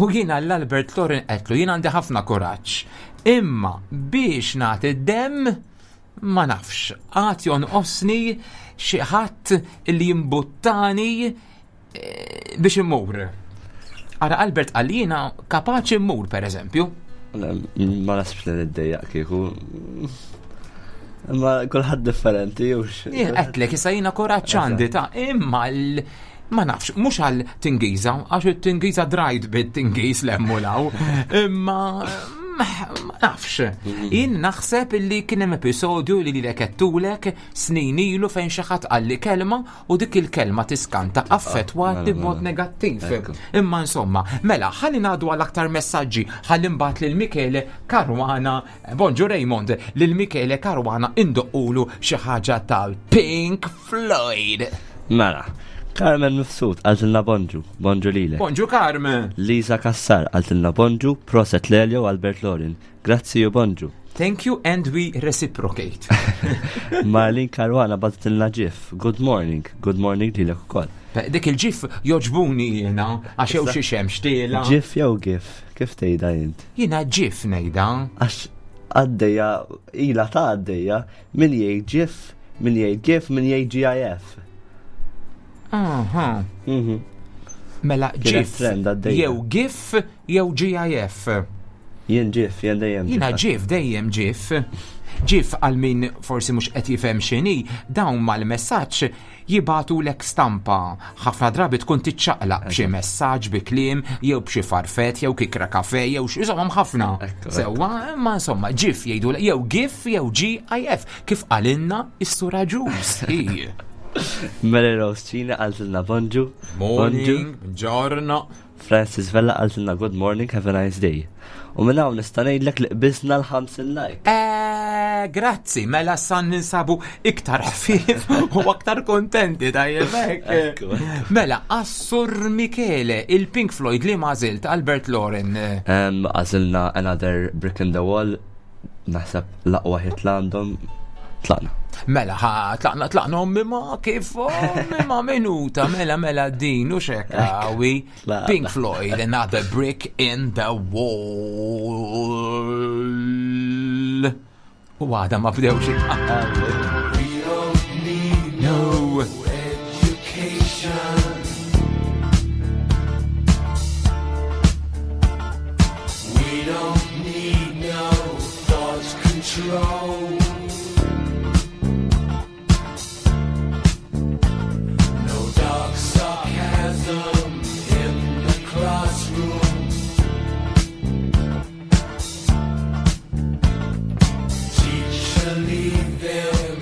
U jiena l-Albert Loren għedtlu jiena għandi ħafna kuraġġ. Imma biex nagħti id-demm ma nafx, għad jonqosni xi ħadd illi jimbuttani eh, biex immur. Ara Albert qal jiena kapaċi mmur per eżempju. Ma nasibx li niddejjaq kieku. Ma kulħadd differenti, jux. Jien għedtlek issa jiena kuraġġ għandi ta' imma l ma nafx, mhux għal tingiża, għax it-tingiża drajt bit-tingiż l-emmulaw, imma ma nafx. Jien naħseb illi kien hemm episodju li lilek għedtulek snin ilu fejn xi ħadd qalli kelma u dik il-kelma tiskanta affettwat mela, b'mod mela. negattiv. Ekku. Imma insomma, mela, ħalli ngħaddu għal aktar messaġġi, ħalli mbagħad lil Michele Caruana, bonġu Raymond, lil Michele Caruana indoqqulu xi ħaġa tal-Pink Floyd. Mela, Carmen Mifsud qaltilna bonġu, bonġu lilek. Bonġu Carmen. Lisa Kassar qaltilna bonġu, proset Lelio Albert Lorin. Grazzi u bonġu. Thank you and we reciprocate. Marlin Caruana bagħtitilna GIF. Good morning, good morning lilek ukoll. Dik il-GIF jogħġbuni jiena, għax jew xi xemx tiela. GIF jew GIF, kif tgħidha int? Jiena GIF ngħidha. Għax għaddejja, ila ta' għaddejja, min jgħid GIF, min jgħid GIF, min jgħid GIF. Aha. Mhm. Mela Kienet GIF trend għaddejja. jew GIF jew GIF. Jien GIF, jien dejjem Jiena GIF dejjem GIF. GIF għal min forsi mhux qed jifhem x'inhi, dawn mal-messaġġ jibagħtu lek stampa. Ħafna drabi tkun tiċċaqlaq b'xi messaġġ bi kliem jew b'xi farfett jew kikra kafe jew xi insomma ħafna. Ekku, Sewwa, imma insomma GIF jgħidu jew GIF jew GIF kif qalilna is-sura Ġus. Hi. Mary Rose Cina qaltilna bonġu. Bonġu. Morning, buongiorno. Francis Vella qaltilna good morning, have a nice day. U minn hawn nista' ngħidlek li qbiżna l-ħamsin like. Eh, grazzi, mela san ninsabu iktar ħfief u aktar kontenti tajjeb hekk. Ekku, ekku. Mela, Assur Michele, il-Pink Floyd li mażilt Albert Loren. Em, Għażilna Another Brick in the Wall, naħseb l-aqwa hit l għandhom. Tlaqna. Mela, ħa, tlaqna, tlaqna, ommi ma kif, ommi ma minuta, mela, mela din, u xekawi. Tlaqna. Pink Floyd, Another Brick in the Wall. U għada ma bdewx. We don't need No. education. We don't need no thought control. No dark sarcasm in the classroom. Teacher, leave them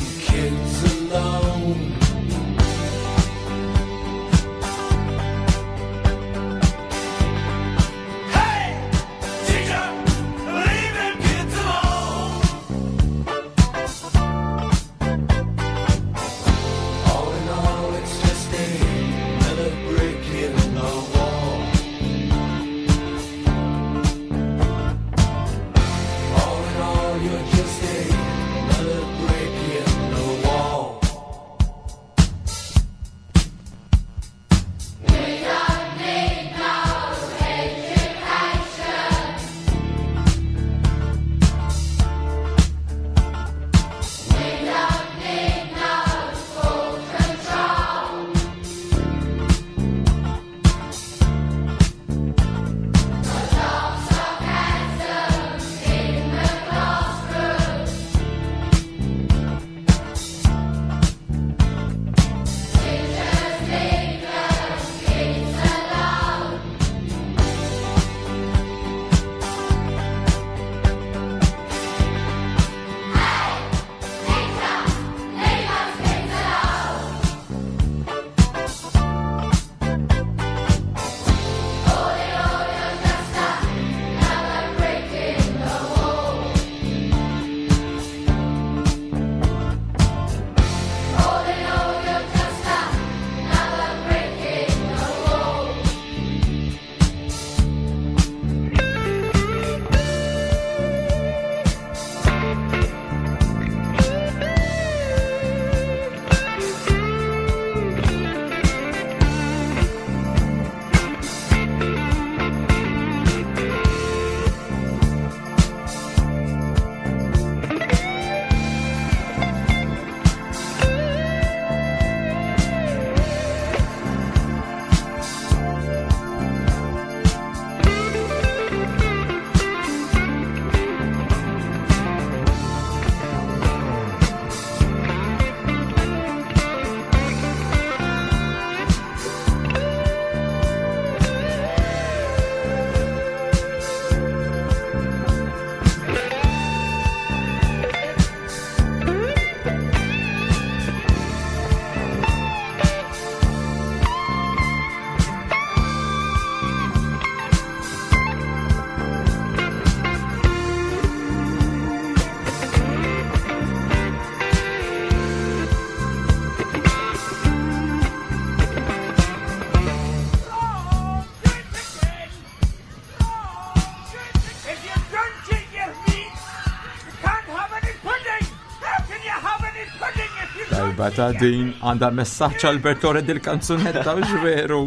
Tajba ta' din għandha messaġġ Albert Lore dil-kanzunetta u veru.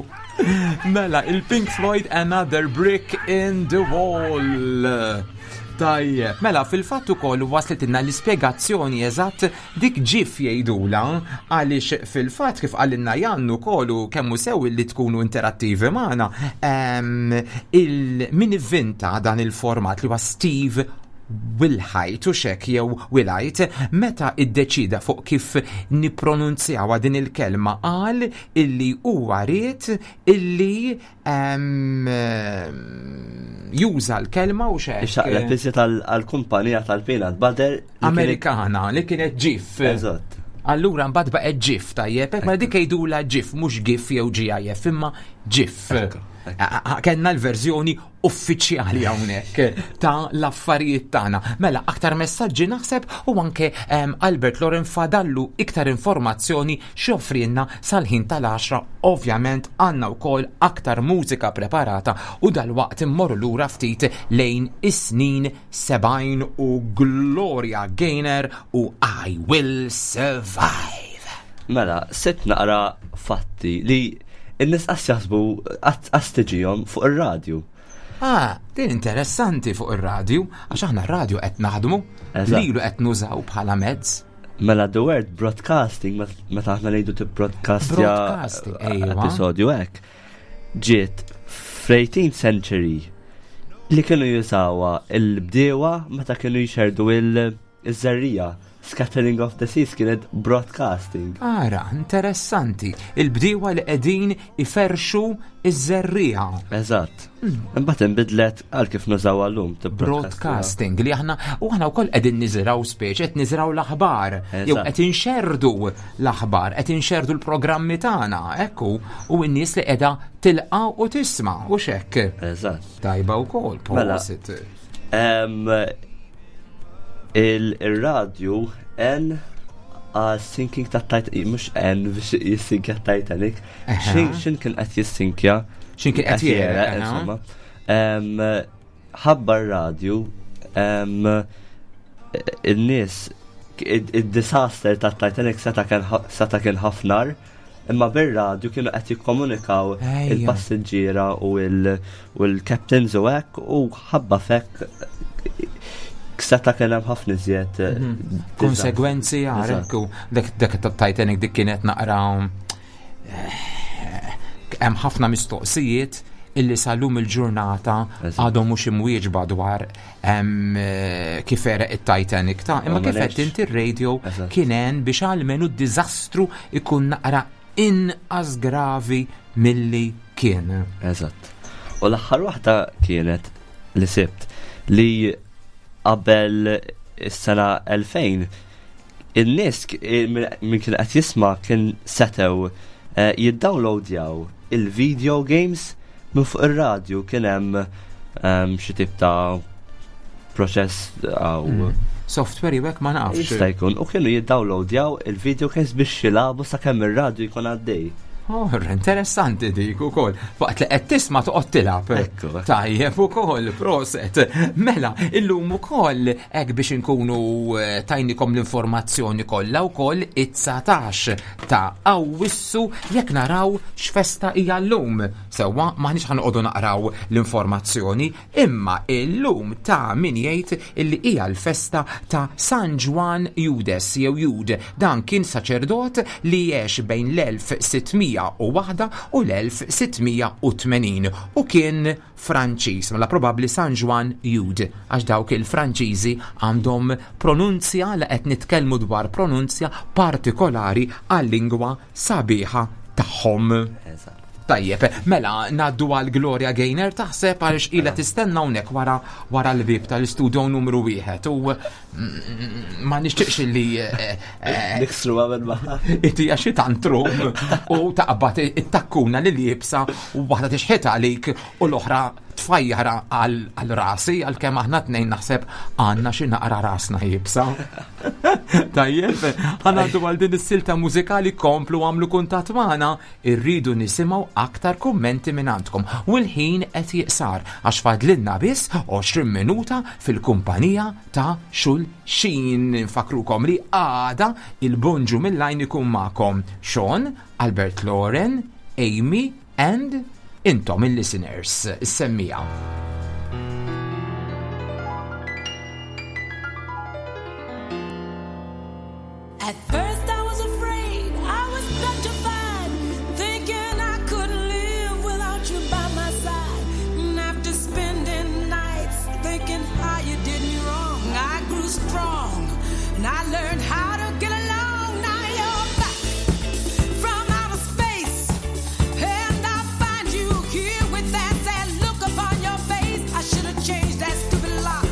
Mela, il-Pink Floyd Another Brick in the Wall. Tajjeb, mela fil-fatt ukoll waslitilna l-ispjegazzjoni eżatt dik GIF jgħidula għaliex fil-fatt kif qalilna Jannu kollu kemmu sew li tkunu interattivi magħna em, il min ivvinta dan il-format li huwa Steve Wilhite u xek jew Wilhite meta iddeċida fuq kif nipronunzjawa din il-kelma qal illi huwa ried illi em, juża l-kelma u xek Ixaqleb iżjed għal-kumpanija tal-peanut butter. li kienet- Amerikana li kienet GIF. Eżatt. Allura mbagħad baqgħet GIF tajjeb, hekk ma dik jgħidula GIF mhux GIF jew GIF imma GIF. Ekku, ekku. A- a- Kellna l-verżjoni uffiċjali hawnhekk ta' l-affarijiet tagħna. Mela aktar messaġġi naħseb u anke em, Albert Loren fadallu iktar informazzjoni x'joffrilna sal-ħin tal-għaxra. Ovvjament għandna wkoll aktar mużika preparata u dal-waqt immorru lura ftit lejn is-snin sebgħin u Gloria Gaynor u I Will Survive. Mela, sitt naqra fatti li n-nies qas jaħsbu qas tiġihom fuq ir-radju. Ah, din interessanti fuq ir-radju, għax aħna r-radju qed naħdmu, Eżatt. lilu qed nużaw bħala mezz. Mela the word broadcasting, met- meta aħna ngħidu tibbroadcastja Broadcasting, ejwa. episodju hekk, ġiet fl-eighteenth century li kienu jużawha il-bdiewa meta kienu jxerdu il-żerriegħa. Scattering of the seeds kienet broadcasting. Ara, interessanti. Il-bdiewa li qegħdin iferxu iż-żerriegħa. Eżatt. Imbagħad inbidlet għal kif nużawha llum tibbroadcastja. Broadcasting li aħna u aħna wkoll qegħdin niżraw speċi qed niżraw l-aħbar jew Eżatt. qed inxerdu l-aħbar, qed inxerdu l-programmi tagħna, ekku, u n-nies li qiegħda tilqa' u tisma' u xekk. Eżatt. Tajba wkoll, Mela. prosit. Em, Il-radju en għal sinking ta' Titanic, mux en biex jissinkja Titanic, Aha. xin xin kien qed jissinkja. Xin kien qed jegħreq, aha. insomma. Em, Ħabba r-radju, em, il-nies, il-disaster ta' Titanic seta kien ħa- seta kien ħafnar, imma bir-radju kienu qed jikkomunikaw Ejja. il-passiġġiera u il- u l-captains u hekk u ħabba fekk seta kien hemm ħafna iżjed eh, Mhm. Konsegwenzi Eżatt. għarek u dak dak ta' Titanic dik kienet naqra eh, hemm ħafna mistoqsijiet illi sal-lum il-ġurnata Eżatt. għadhom mhux imwieġba dwar em, eh, kif għereq it-Titanic ta' imma U ma kif qed nafx. inti r-radio Eżatt. kien hemm biex almenu d-diżastru ikun naqra inqas gravi milli kien. Eżatt. U l-aħħar waħda kienet li sibt li qabel is-sena elfejn in-nies k- eh, min min kien qed jisma' kien setgħu eh, jiddownloadjaw il-video games minn fuq ir-radju. Kien hemm ehm, xi tip ta' proċess għaw Mm. Software jew hekk ma nafx. jista' jkun u kienu jiddownloadjaw il-video games biex jilagħbu sakemm ir-radju jkun għaddej. Oh, interessanti dik ukoll. Waqt li qed tisma' toqgħod tilgħab. Ekku, ekku. Tajjeb ukoll, proset. Mela, illum ukoll hekk biex inkunu eh, tajnikom l-informazzjoni kollha wkoll it-dsatax ta' Awwissu jekk naraw x'festa hija llum. Sewwa maħniex ħanqogħdu naqraw l-informazzjoni, imma illum ta' min jgħid illi hija l-festa ta' San Ġwan Judes jew Jud. Dan kien saċerdot li għex bejn l-elf sitt mija u waħda u l-elf sitt mija u tmenin u kien Franċiż, mela probabbli San Ġwan Jud, għax dawk il-Franċiżi għandhom pronunzja li qed nitkellmu dwar pronunzja partikolari għal-lingwa sabiħa tagħhom. Eżatt. Tajjeb, mela ngħaddu għal Gloria Gaynor taħseb għaliex ilha tistenna hawnhekk wara wara l-bib tal-istudio numru wieħed u mm, ma nixtieqx li eh, eh, Niksru għamel ma. itija xi tantrum u taqbad it-takkuna li liebsa u waħda tixħet għalik u l-oħra Tfajjar għal rasi, għal kemm aħna tnejn naħseb għandna xi naqra rasna jibsa. Tajjeb, ħanaddu għal din is-silta mużikali, komplu għamlu kuntatt magħna, irridu nisimgħu aktar kummenti minn għandkom. U l-ħin qed jiqsar għax fadlilna biss għoxrin minuta fil-kumpanija ta' xulxin. Nfakrukom li għada il-bonġu mill-lajn ikun magħkom Sean, Albert Lauren, Amy and intom il-listeners, is-semmija. At first I was afraid, I was petrified, thinking I couldn't live without you by my side. And after spending nights thinking how you did me wrong, I grew strong and I learned how to get along. Now you're back from outer space, and I find you here with that sad look upon your face. I should have changed that stupid lock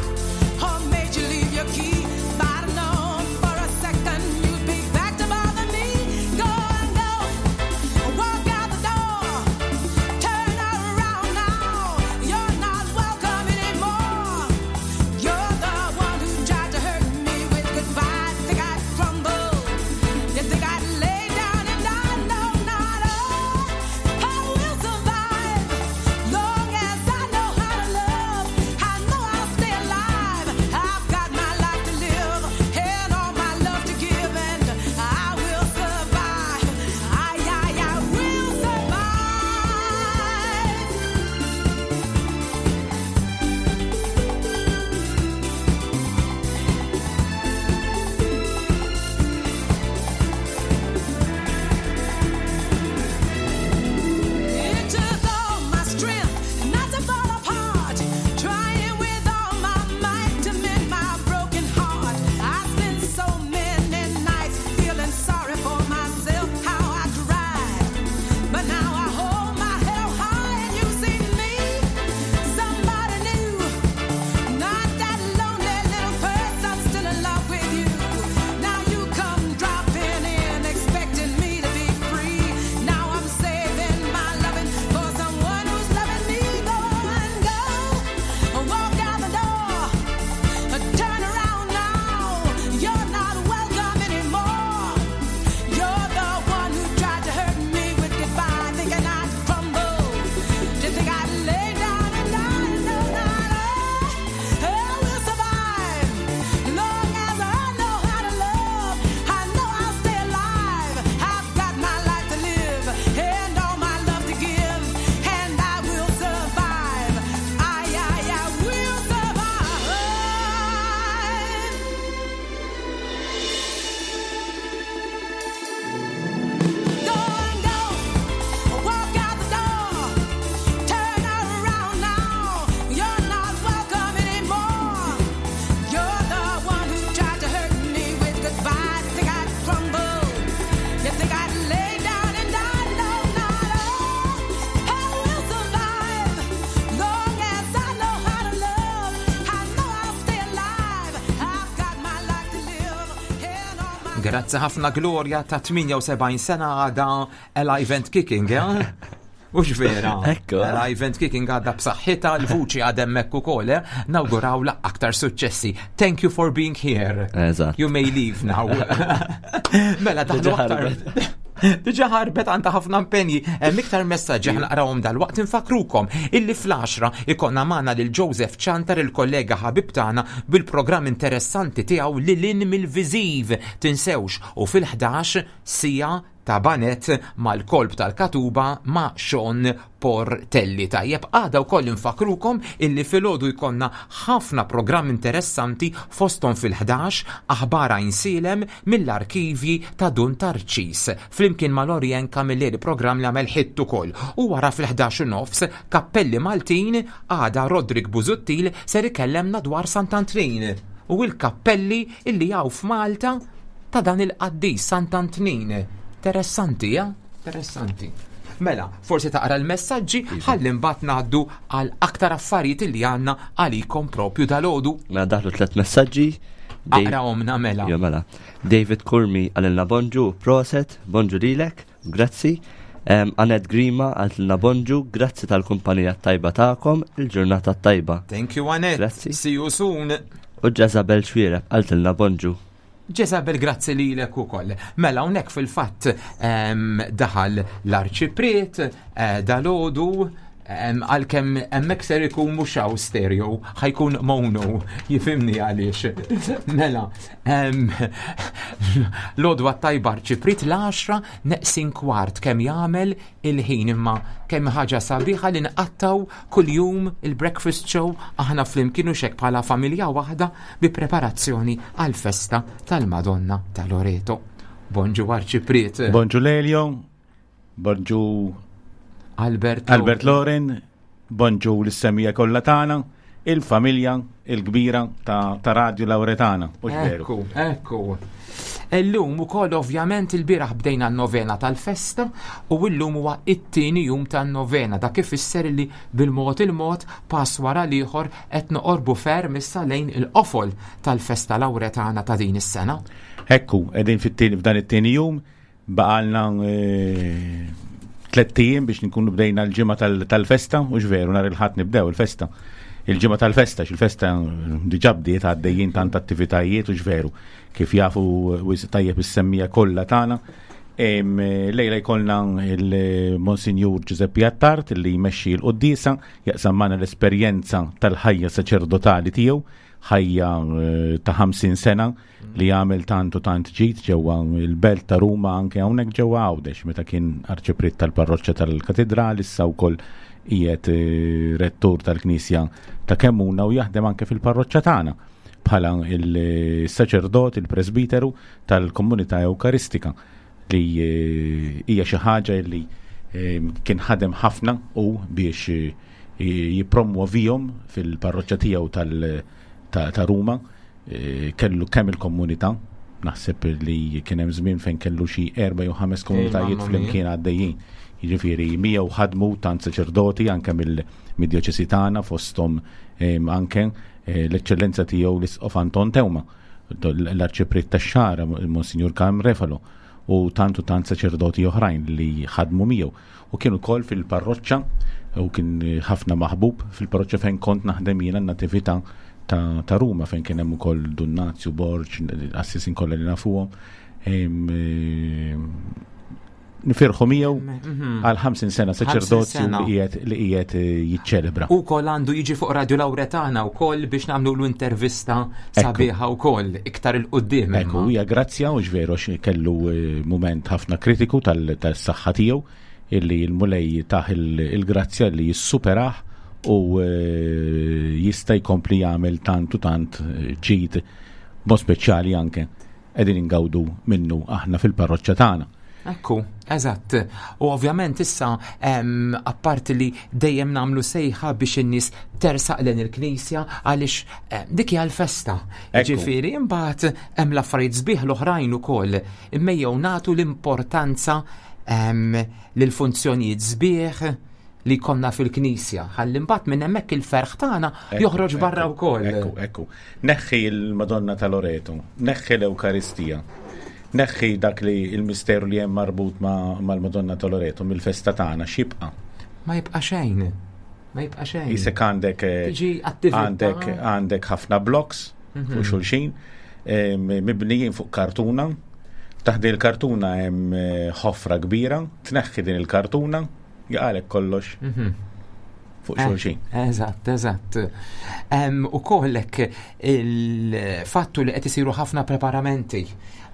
or made you leave your key. But I'd have known for a second you'd be back to bother me. Go and go, walk out the door, turn around now. You're not welcome anymore. You're the one who tried to hurt me with goodbye. Think I'd crumble? You think I'd lay down and die? No, not I. I will survive. Long as I know how to love, I know I'll stay alive. I've got my life to live and all my love to give, and I will survive. I, I, I will survive. It took all my strength not to fall apart, trying with all my might to mend my broken heart. I spent so many nights feeling sorry for myself, how I cried. But now I hold my head high and you see me, somebody new, not that lonely little person still in love with you. Now you come dropping in, expecting me to be free. Now I'm saving my loving for someone who's loving me. Go and go, walk out the door, turn around now. You're not welcome anymore. You're the one who tried to hurt me with goodbye, thinking I'd crumble. You think I'd lay down and die? No, not I. I will survive. Long as I know how to love, I know I'll stay alive. I've got my life to live and all my love to give, and I will survive. I, I, I will survive. Go and go, walk out the door, turn around now. You're not welcome anymore. You're the one who tried to hurt me with goodbye. Think I'd crumble? You think I'd lay down and die? No, not I. I will survive. Long as I know how to love, I know I'll stay alive. I've got my life to live and all my Grazzi ħafna Gloria ta' tmienja u sebgħin sena għada alive and kicking, eh? Ux vera? Ekku. Alive and kicking għadha b'saħħitha, l-vuċi għadha hemmhekk ukoll, eh? Nawgurawla aktar suċċessi. Thank you for being here. Eżatt. You may leave now. Mela, daħlu Diġà aktar. ħarbet. Diġà ħarbet, għandha ħafna impenji. Hemm iktar messaġġi ħa naqrawhom dal-waqt. Infakrukom illi fl-għaxra ikonna magħna lil Joseph Chantar, il-kollega ħabib tagħna, bil-programm interessanti tiegħu Lil hinn mill-Viżiv. Tinsewx, u fil-ħdax sija ta' banet mal-kolb tal-Katuba ma' Sean Portelli. Tajjeb, għada wkoll infakrukom illi filgħodu jkollna ħafna programm interessanti, fostom fil-ħdax aħbar Għajnsielem mill-arkivji ta' Dun Tarċis flimkien ma' Lorien Camilleri, programm li għamel hit ukoll. U wara fil-ħdax u nofs Kappelli Maltin, għada Rodrik Busuttil ser ikellemna dwar Sant'Antnin u il-kappelli illi hawn f'Malta ta' dan il-qaddis Sant'Antnin. Interessanti, ja? Interessanti. Mela, forsi taqra l-messaġġi ħalli mbagħad ngħaddu għal aktar affarijiet li għandna għalikom propju dalgħodu. Mela daħlu tliet messaġġi. Dave- Aqrahomna mela. Jo, mela. David Kurmi qalilna bonġu, proset, bonġu lilek, grazzi. Em, Anet Grima qaltilna bonġu, grazzi tal-kumpanija tajba tagħkom, il-ġurnata tajba. Thank you, Anet. Grazzi. See you soon. U Jezabel Xwireb qaltilna bonġu. Jezabel, grazzi lilek ukoll. Mela hawnhekk fil-fatt em, daħal l-arċipriet eh, dalgħodu em, għalkemm hemmhekk ser ikun mhux hawn stereo, ħa jkun mono, jifhimni għaliex. Mela, em, l-għodwa tajba arċipriet l-għaxra neqsin kwart kemm jagħmel il-ħin imma kemm ħaġa sabiħa li nqattaw kuljum il-breakfast show aħna flimkien u xek bħala familja waħda bi preparazzjoni għal-festa tal-Madonna ta' Loreto. Bonġu arċipriet. Bonġu Lelio, bonġu Albert Albert Loren, bonġu l-semmiegħa kollha tagħna, il-familja il-kbira ta', ta Radio Lauretana. Mhux veru. Ekku, ekku. Illum ukoll ovvjament il-bieraħ bdejna n-novena tal-festa u illum huwa it-tieni jum tan-novena dak ifisser li bil-mod il-mod pass wara l-ieħor qed noqorbu ferm issa lejn il-qofol tal-festa Lauretana ta' din is-sena. Ekku, qegħdin fit-tieni f'dan it-tieni jum, baqalna eh, tlett ijiem biex nkunu bdejna l-ġimgħa tal- tal-festa, mhux veru, nhar il-Ħadd nibdew il-festa. Il-ġimgħa tal-festa, x'il-festa diġà bdiet għaddejjin tant attivitajiet u veru, kif jafu wisq tajjeb is-semmiegħa kollha tagħna. Em, Lejla jkollna il-Monsinjur Giuseppe Attard li jmexxi l-quddiesa, jaqsam magħna l-esperjenza tal-ħajja saċerdotali tiegħu, ħajja eh, ta' ħamsin sena li għamel tant u tant ġid ġewwa il-belt ta' Ruma anke hawnhekk ġewwa Għawdex meta kien arċipriet tal-parroċċa tal-Katedral issa wkoll qiegħed eh, rettur tal-Knisja ta' Kemmuna u jaħdem anke fil-parroċċa tagħna bħala il-saċerdot, il-presbiteru tal-komunità Ewkaristika li eh, hija xi ħaġa li eh, kien ħadem ħafna u biex eh, jippromuovihom fil-parroċċa tiegħu tal- ta', ta' Ruma eh, kellu kemm il-komunità naħseb li kien hemm żmien fejn kellu xi erba' jew ħames komunitajiet mamma mia. flimkien għaddejjin. Jiġifieri miegħu ħadmu tant saċerdoti anke mill-djoċesi tagħna fosthom em, anke eh, l-eċċellenza tiegħu l-Isqof Anton Teuma, l-arċipriet tax-Xagħra il-Monsinjur Karm Refalo u tant u tant saċerdoti oħrajn li ħadmu miegħu. U kienu wkoll fil-parroċċa u kien ħafna maħbub fil-parroċċa fejn kont naħdem jiena n-natività ta', ta' Ruma fejn kien hemm ukoll Dun Nazju Borg, assisin kollha li nafuhom. Em, em, Nifirħu miegħu għal ħamsin sena saċerdozju sena. li qiegħed li qiegħed eh, jiċċelebra. U kol għandu jiġi fuq Radio Lauretana u kol biex nagħmlu l-intervista sabiħa u kol iktar 'il quddiem. Ekku, hija grazzja u veru għax kellu eh, moment ħafna kritiku tal- tas-saħħa tiegħu illi l-Mulej tah il- il-grazzja li jissuperah u eh, jista' jkompli jagħmel tant u tant eh, ġid mod speċjali anke qegħdin ingawdu minnu aħna fil-parroċċa tagħna. Ekku, eżatt. U ovvjament issa em, apparti li dejjem nagħmlu sejħa biex in-nies tersaq lejn il-knisja għaliex em, dik hija l-festa. Ekku. Ġifieri imbagħad hemm l-affarijiet sbieħ l-oħrajn ukoll. Imma nagħtu l-importanza em, lil funzjonijiet sbieħ li konna fil-knisja. Ħalli mbagħad minn hemmhekk il-ferħ tagħna Ekku, joħroġ barra ekku, wkoll. Ekku, ekku. Neħħi il-Madonna ta' Loreto, neħħi l-Ewkaristija, neħħi dak li il-misteru li hemm marbut ma' mal-Madonna ta' Loreto mill-festa tagħna x'jibqa'. Ma jibqa' xejn. Ma jibqa' xejn. Isek għandek eh, Tiġi attività. għandek għandek ħafna blocks Mhm. fuq xulxin em, mibnijin fuq kartuna. Taħt il-kartuna hemm eh, ħofra kbira, tneħħi din il-kartuna, jaqalek kollox Mhm. fuq Eh, xulxin. Eżatt, eżatt. Em, U kollek il-fattu li qed isiru ħafna preparamenti.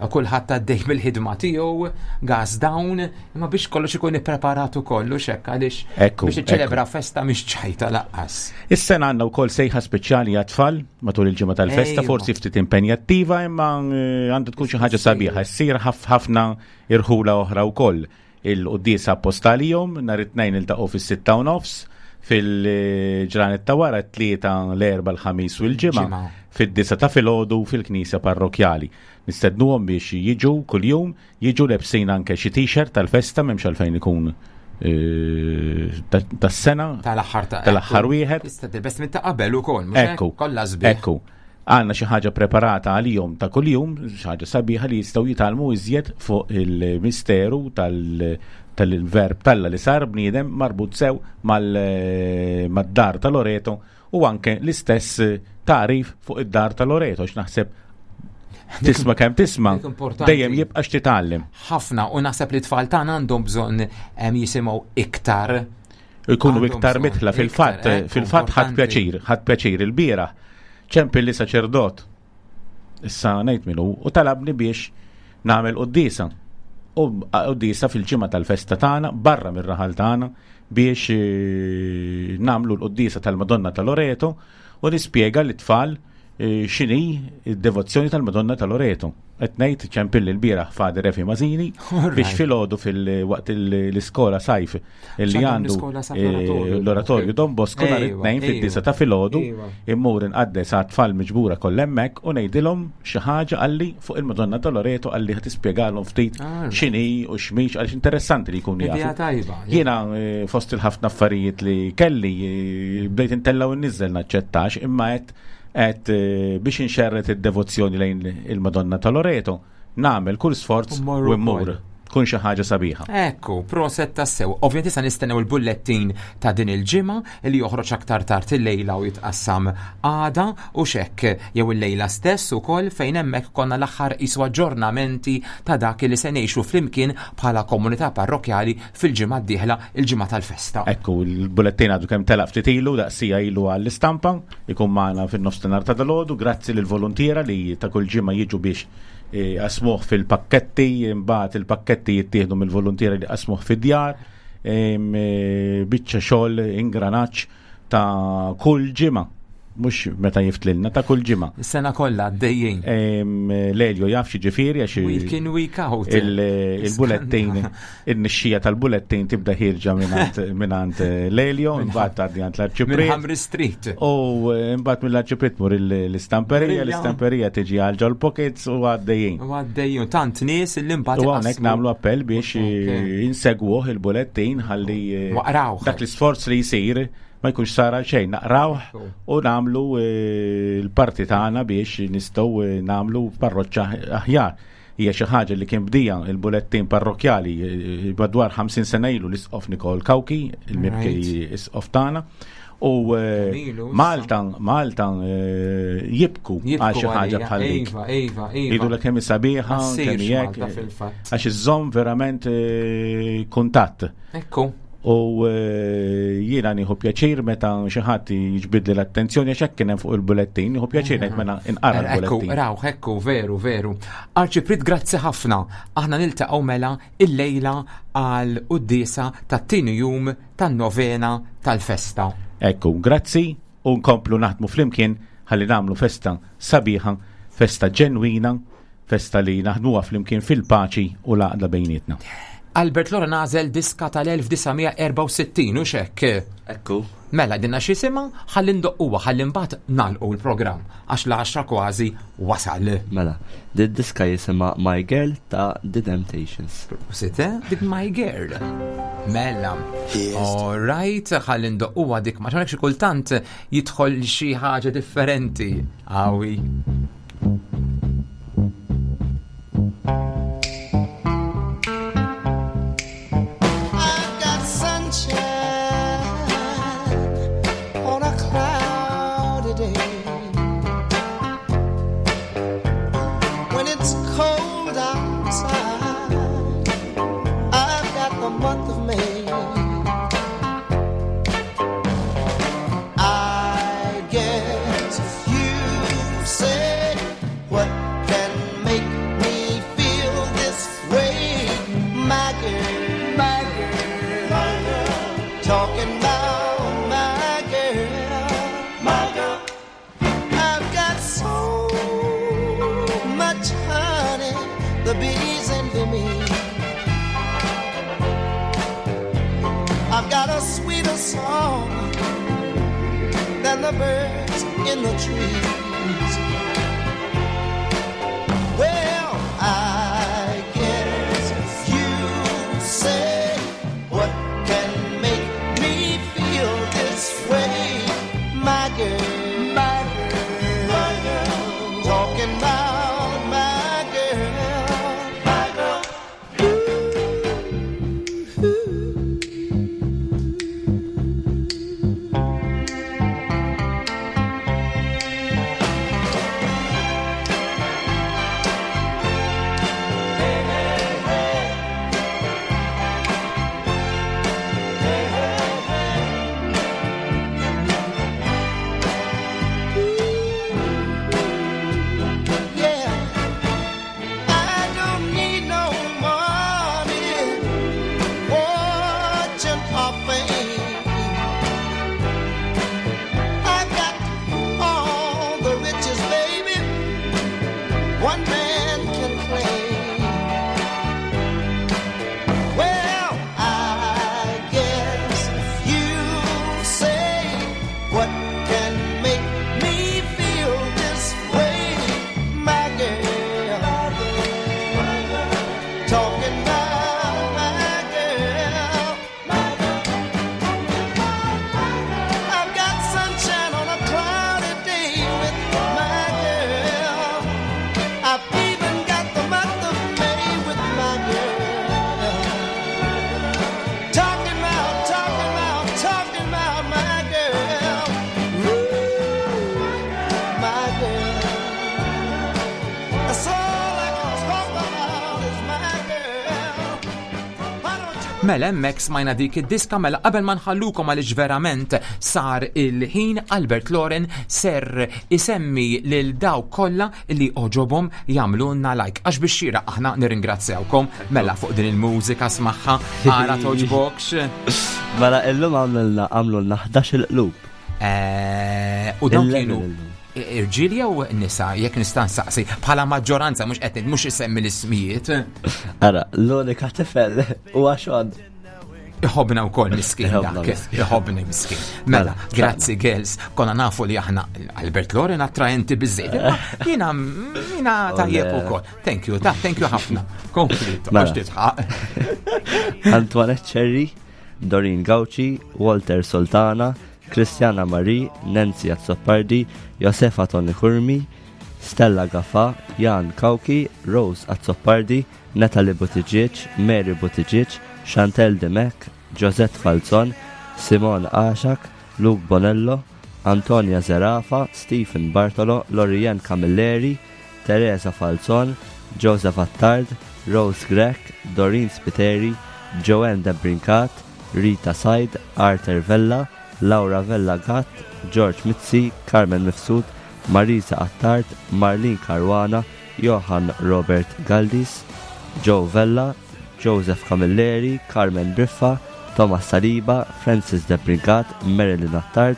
Kulħadd għaddej bil-ħidma tiegħu, gas down, imma biex kollox ikun ippreparat ukoll u xekk għaliex Ekku, biex iċċelebra festa mhix ċajta lanqas. Is-sena għandna wkoll sejħa speċjali għat-tfal matul il-ġimgħa tal-festa, Ejwa. forsi ftit impenjattiva, imma eh, għandu tkun xi ħaġa sabiħa. Ssir ħaf- ħafna irħula oħra wkoll. Il-quddiesa apostalijom nhar it-tnejn iltaqgħu fis-sitta u nofs, fil-ġranet ta' wara t-tlieta l-erba' l-ħamis u l-ġimgħa Ġimgħa. fid-disa ta' filgħodu fil-knisja parrokjali. Nistednuhom biex jiġu kuljum, jiġu lebsin anke xi t-shirt tal-festa m'hemmx għalfejn ikun eh, ta- tas-sena Tal-aħħar ta' tal-aħħar wieħed. Tista' tilbes minn ta' qabel ukoll, mhux hekk? Ekku. Kollha sbieħ. Ekku. Għandna xi ħaġa preparata għalihom ta' kuljum, xi ħaġa sabiħa li jistgħu jitgħallmu iżjed fuq il-misteru tal- tal-verb talla li sar bniedem marbut sew mal- mad-dar ta' Loreto u anke l-istess tarif fuq id-dar ta' Loreto, x'naħseb tisma' kemm tisma' Dik importanti. dejjem jibqa' x'titgħallem. Ħafna, u naħseb li tfal tagħna għandhom bżonn em, jisimgħu iktar. Ikunu Għandhom iktar bżonn, mitla fil-fatt, iktar, ekku, fil-fatt ħadd importanti. pjaċir, ħadd pjaċir il-bieraħ. Ċempil li saċerdot, issa ngħid minnu, u talabni biex nagħmel quddiesa. U quddiesa fil-ġimgħa tal-festa tagħna, barra mir-raħal tagħna, biex eh, nagħmlu l-quddiesa tal-Madonna ta' Loreto u nispjega lit-tfal eh, x'inhi d-devozzjoni tal-Madonna ta' Loreto. Qed ngħid ċempil l-bieraħ Father Efi Mażini Alright. biex filgħodu fil-waqt l-iskola sajf illi X'għandhom għandu l-iskola sajf eh, l-oratorju. l-oratorju Don Bosco nhar Ejwa, it-tnejn fid-disa ejwa. ta' filgħodu Ejwa. immur inqaddes għat-tfal miġbura kollha hemmhekk u ngħidilhom xi ħaġa qalli fuq il-Madonna ta' Loreto qalli ħa tispjegalhom ftit Alright. x'inhi u x'mhix għaliex interessanti li jkunu Idea jafu. tajba. Jiena eh, fost il-ħafna affarijiet li kelli eh, bdejt intella u nniżel naċċettax imma qed qed eh, biex inxerret id-devozzjoni lejn il-Madonna ta' Loreto nagħmel kull sforz U mmorru u mmur. wkoll. Tkun xi ħaġa sabiħa. Ekku, proset tassew. Ovvjament issa nistennew il-bullettin ta' din il-ġimgħa li joħroġ aktar tard il-lejla u jitqassam għada u xekk jew il-lejla stess ukoll fejn hemmhekk konna l-aħħar isu aġġornamenti ta' dak li se ngħixu flimkien bħala komunità parrokjali fil-ġimgħa d-dieħla, il-ġimgħa tal-festa. Ekku, il-bullettin għadu kemm telaq ftit ilu, daqsija ilu għall-istampa, ikun magħna fin-nofsinhar ta' dalgħodu, grazzi lill voluntiera li ta' kull ġimgħa jiġu biex eh, qasmuh fil-pakketti, imbagħad il-pakketti jittieħdu mill-voluntiera li qasmuh fid-djar, em, eh, biċċa xogħol ingranaġġ ta' kull ġimgħa, mhux meta jiftlilna, ta' kull ġimgħa. Is-sena kollha għaddejjin. Em, Lelio jaf xi ġifieri għax Week in, week out. il- il-bullettin, il-nixxija tal-bullettin tibda ħirġa minant, minant Lelio, imbagħad tgħaddi għand Minn l-arċipriet. Hamri Street. U eh, imbagħad mill-arċipriet mur il- l-istamperija, Brilla. l-istamperija tiġi għal ġol pockets u għaddejjin. U għaddejjin tant nies li mbagħad U hawnhekk iqassmu. nagħmlu appell biex Ok. eh, insegwuh il-bullettin ħalli eh, Waqrawh. dak l-isforz li jsir ma jkunx sar għal xejn, naqrawh u nagħmlu eh, l-parti tagħna biex nistgħu eh, nagħmlu parroċċa aħjar. Hija xi ħaġa li kien bdija il-bullettin parrokjali eh, madwar ħamsin sena ilu l-isqof Nikol Kawki, il-mibki Right. isqof tagħna. U eh, Ilu issa. Malta, Malta eh, jibku Jibku għal xi ħaġa għalija. bħal dik. Iva, iva, iva. Jidu l kemm hi sabiħa, Ma ssirx kemm hi hekk, Malta fil-fatt. Għax iżżomm verament eh, kuntatt. Ekku. U eh, jiena nieħu pjaċir meta xi ħadd jiġbidli l-attenzjoni għax hekk kien hemm fuq il-bullettin, nieħu pjaċir ngħid mela inqara Ekku, l-bullettin. raw, ekku, veru, veru. Arċipriet, grazzi ħafna. Aħna niltaqgħu mela il-lejla għal quddiesa tat-tieni jum tan-novena tal-festa. Ekku, grazzi u nkomplu naħdmu flimkien ħalli nagħmlu festa sabiħa, festa ġenwina, festa li naħdmuha flimkien fil-paċi u l-għaqda bejnietna. Albert Lora nażel diska tal-elf disa' mija erbgħa u sittin u xekk. Ekku. Mela dinna x'jisimha, ħalli ndoqquha, ħalli mbagħad nagħlqu l-programm għax l-għaxra kważi wasal. Mela, di diska jisimha My Girl ta' The Temptations. Site, dik My Girl. Mela. All right, ħalli ndoqquha dik ma xi kultant jidħol xi ħaġa differenti. Awi. I've got sunshine on a cloudy day. When it's cold outside, I've got the month of May. I guess you say, what can make me feel this way? My girl, my girl, my girl, talking about my girl, my girl. I've got so much honey, the bees envy me. I've got a sweeter song than the birds in the trees. Well, I guess you say, what can make me feel this way? My girl, my girl, my girl, Mela hemmhekk smajna dik id-diska mela qabel ma nħallukom għaliex verament sar il-ħin Albert Loren ser isemmi lil dawk kollha li għoġobhom jagħmlulna like għax biex xira aħna nirringrazzjawkom mela fuq din il-mużika smaħħa ara togħġbokx. Mela illum għamlulna għamlulna ħdax il-qlub. Eh, U dawn Eleven kienu illum. irġiel jew nisa jekk nista' nsaqsi bħala maġġoranza mhux qed mhux isemmi l-ismijiet. Ara, l-unika tifel huwa Sean. Iħobna wkoll miskin Iħobna dak, miskin. iħobni miskin. Mela, Mela, grazzi girls, konna nafu li aħna Albert Loren attraenti biżejjed. imma Jiena jiena tajjeb Ole. ukoll. Thank you, ta' thank you ħafna. Kompli, Mela. toqgħodx titħaq. Antoinette Cherry, Doreen Gauci, Walter Sultana, Cristiana Marie, Nancy Azzopardi, Josefa Toni Curmi, Stella Gaffa, Jan Kauki, Rose Azzopardi, Natalie Buttigieg, Mary Buttigieg, Chantel Demek, Josette Falzon, Simon Ashak, Luke Bonello, Antonia Zerafa, Stephen Bartolo, Lorian Camilleri, Teresa Falzon, Joseph Attard, Rose Grech, Doreen Spiteri, Joanne Debrincat, Rita Said, Arthur Vella, Laura Vella Gatt, George Mizzi, Carmen Mifsud, Marisa Attard, Marlene Caruana, Johan Robert Galdis, Joe Vella, Joseph Camilleri, Carmen Briffa, Thomas Saliba, Francis Debrincat, Marilyn Attard,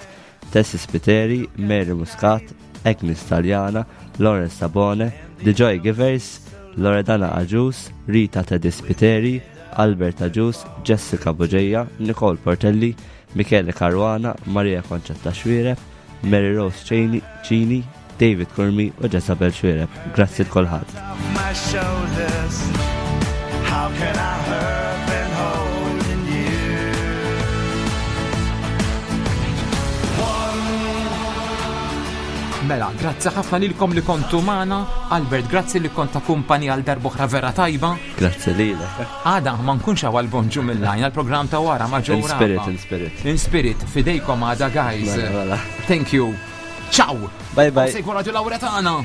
Tessie Spiteri, Mary Muscat, Agnes Taliana, Lawrence Sabone, The Joy Givers, Loredana Agius, Rita Teddy Spiteri, Albert Agius, Jessica Bugeja, Nicole Portelli, Michele Caruana, Maria Concetta Xuereb, Mary Rose Cini, Cini, David Curmi u Jezabel Xuereb. Grazzi l-kulħadd. my shoulders. How can I hurt been holding you? Mela, grazzi ħafna lilkom li kontu magħna. Albert, grazzi li kont ta' kumpanija għal darb'oħra vera tajba. Grazzi lilek. Għada ma nkunx hawn għal-bonġu mill-lajn, għal-programm ta' wara ma' In spirit, in spirit. In spirit, fidejkom għada guys. Mela, mela. Thank you. Ciao. Bye bye. Segwu Radio Lauretana.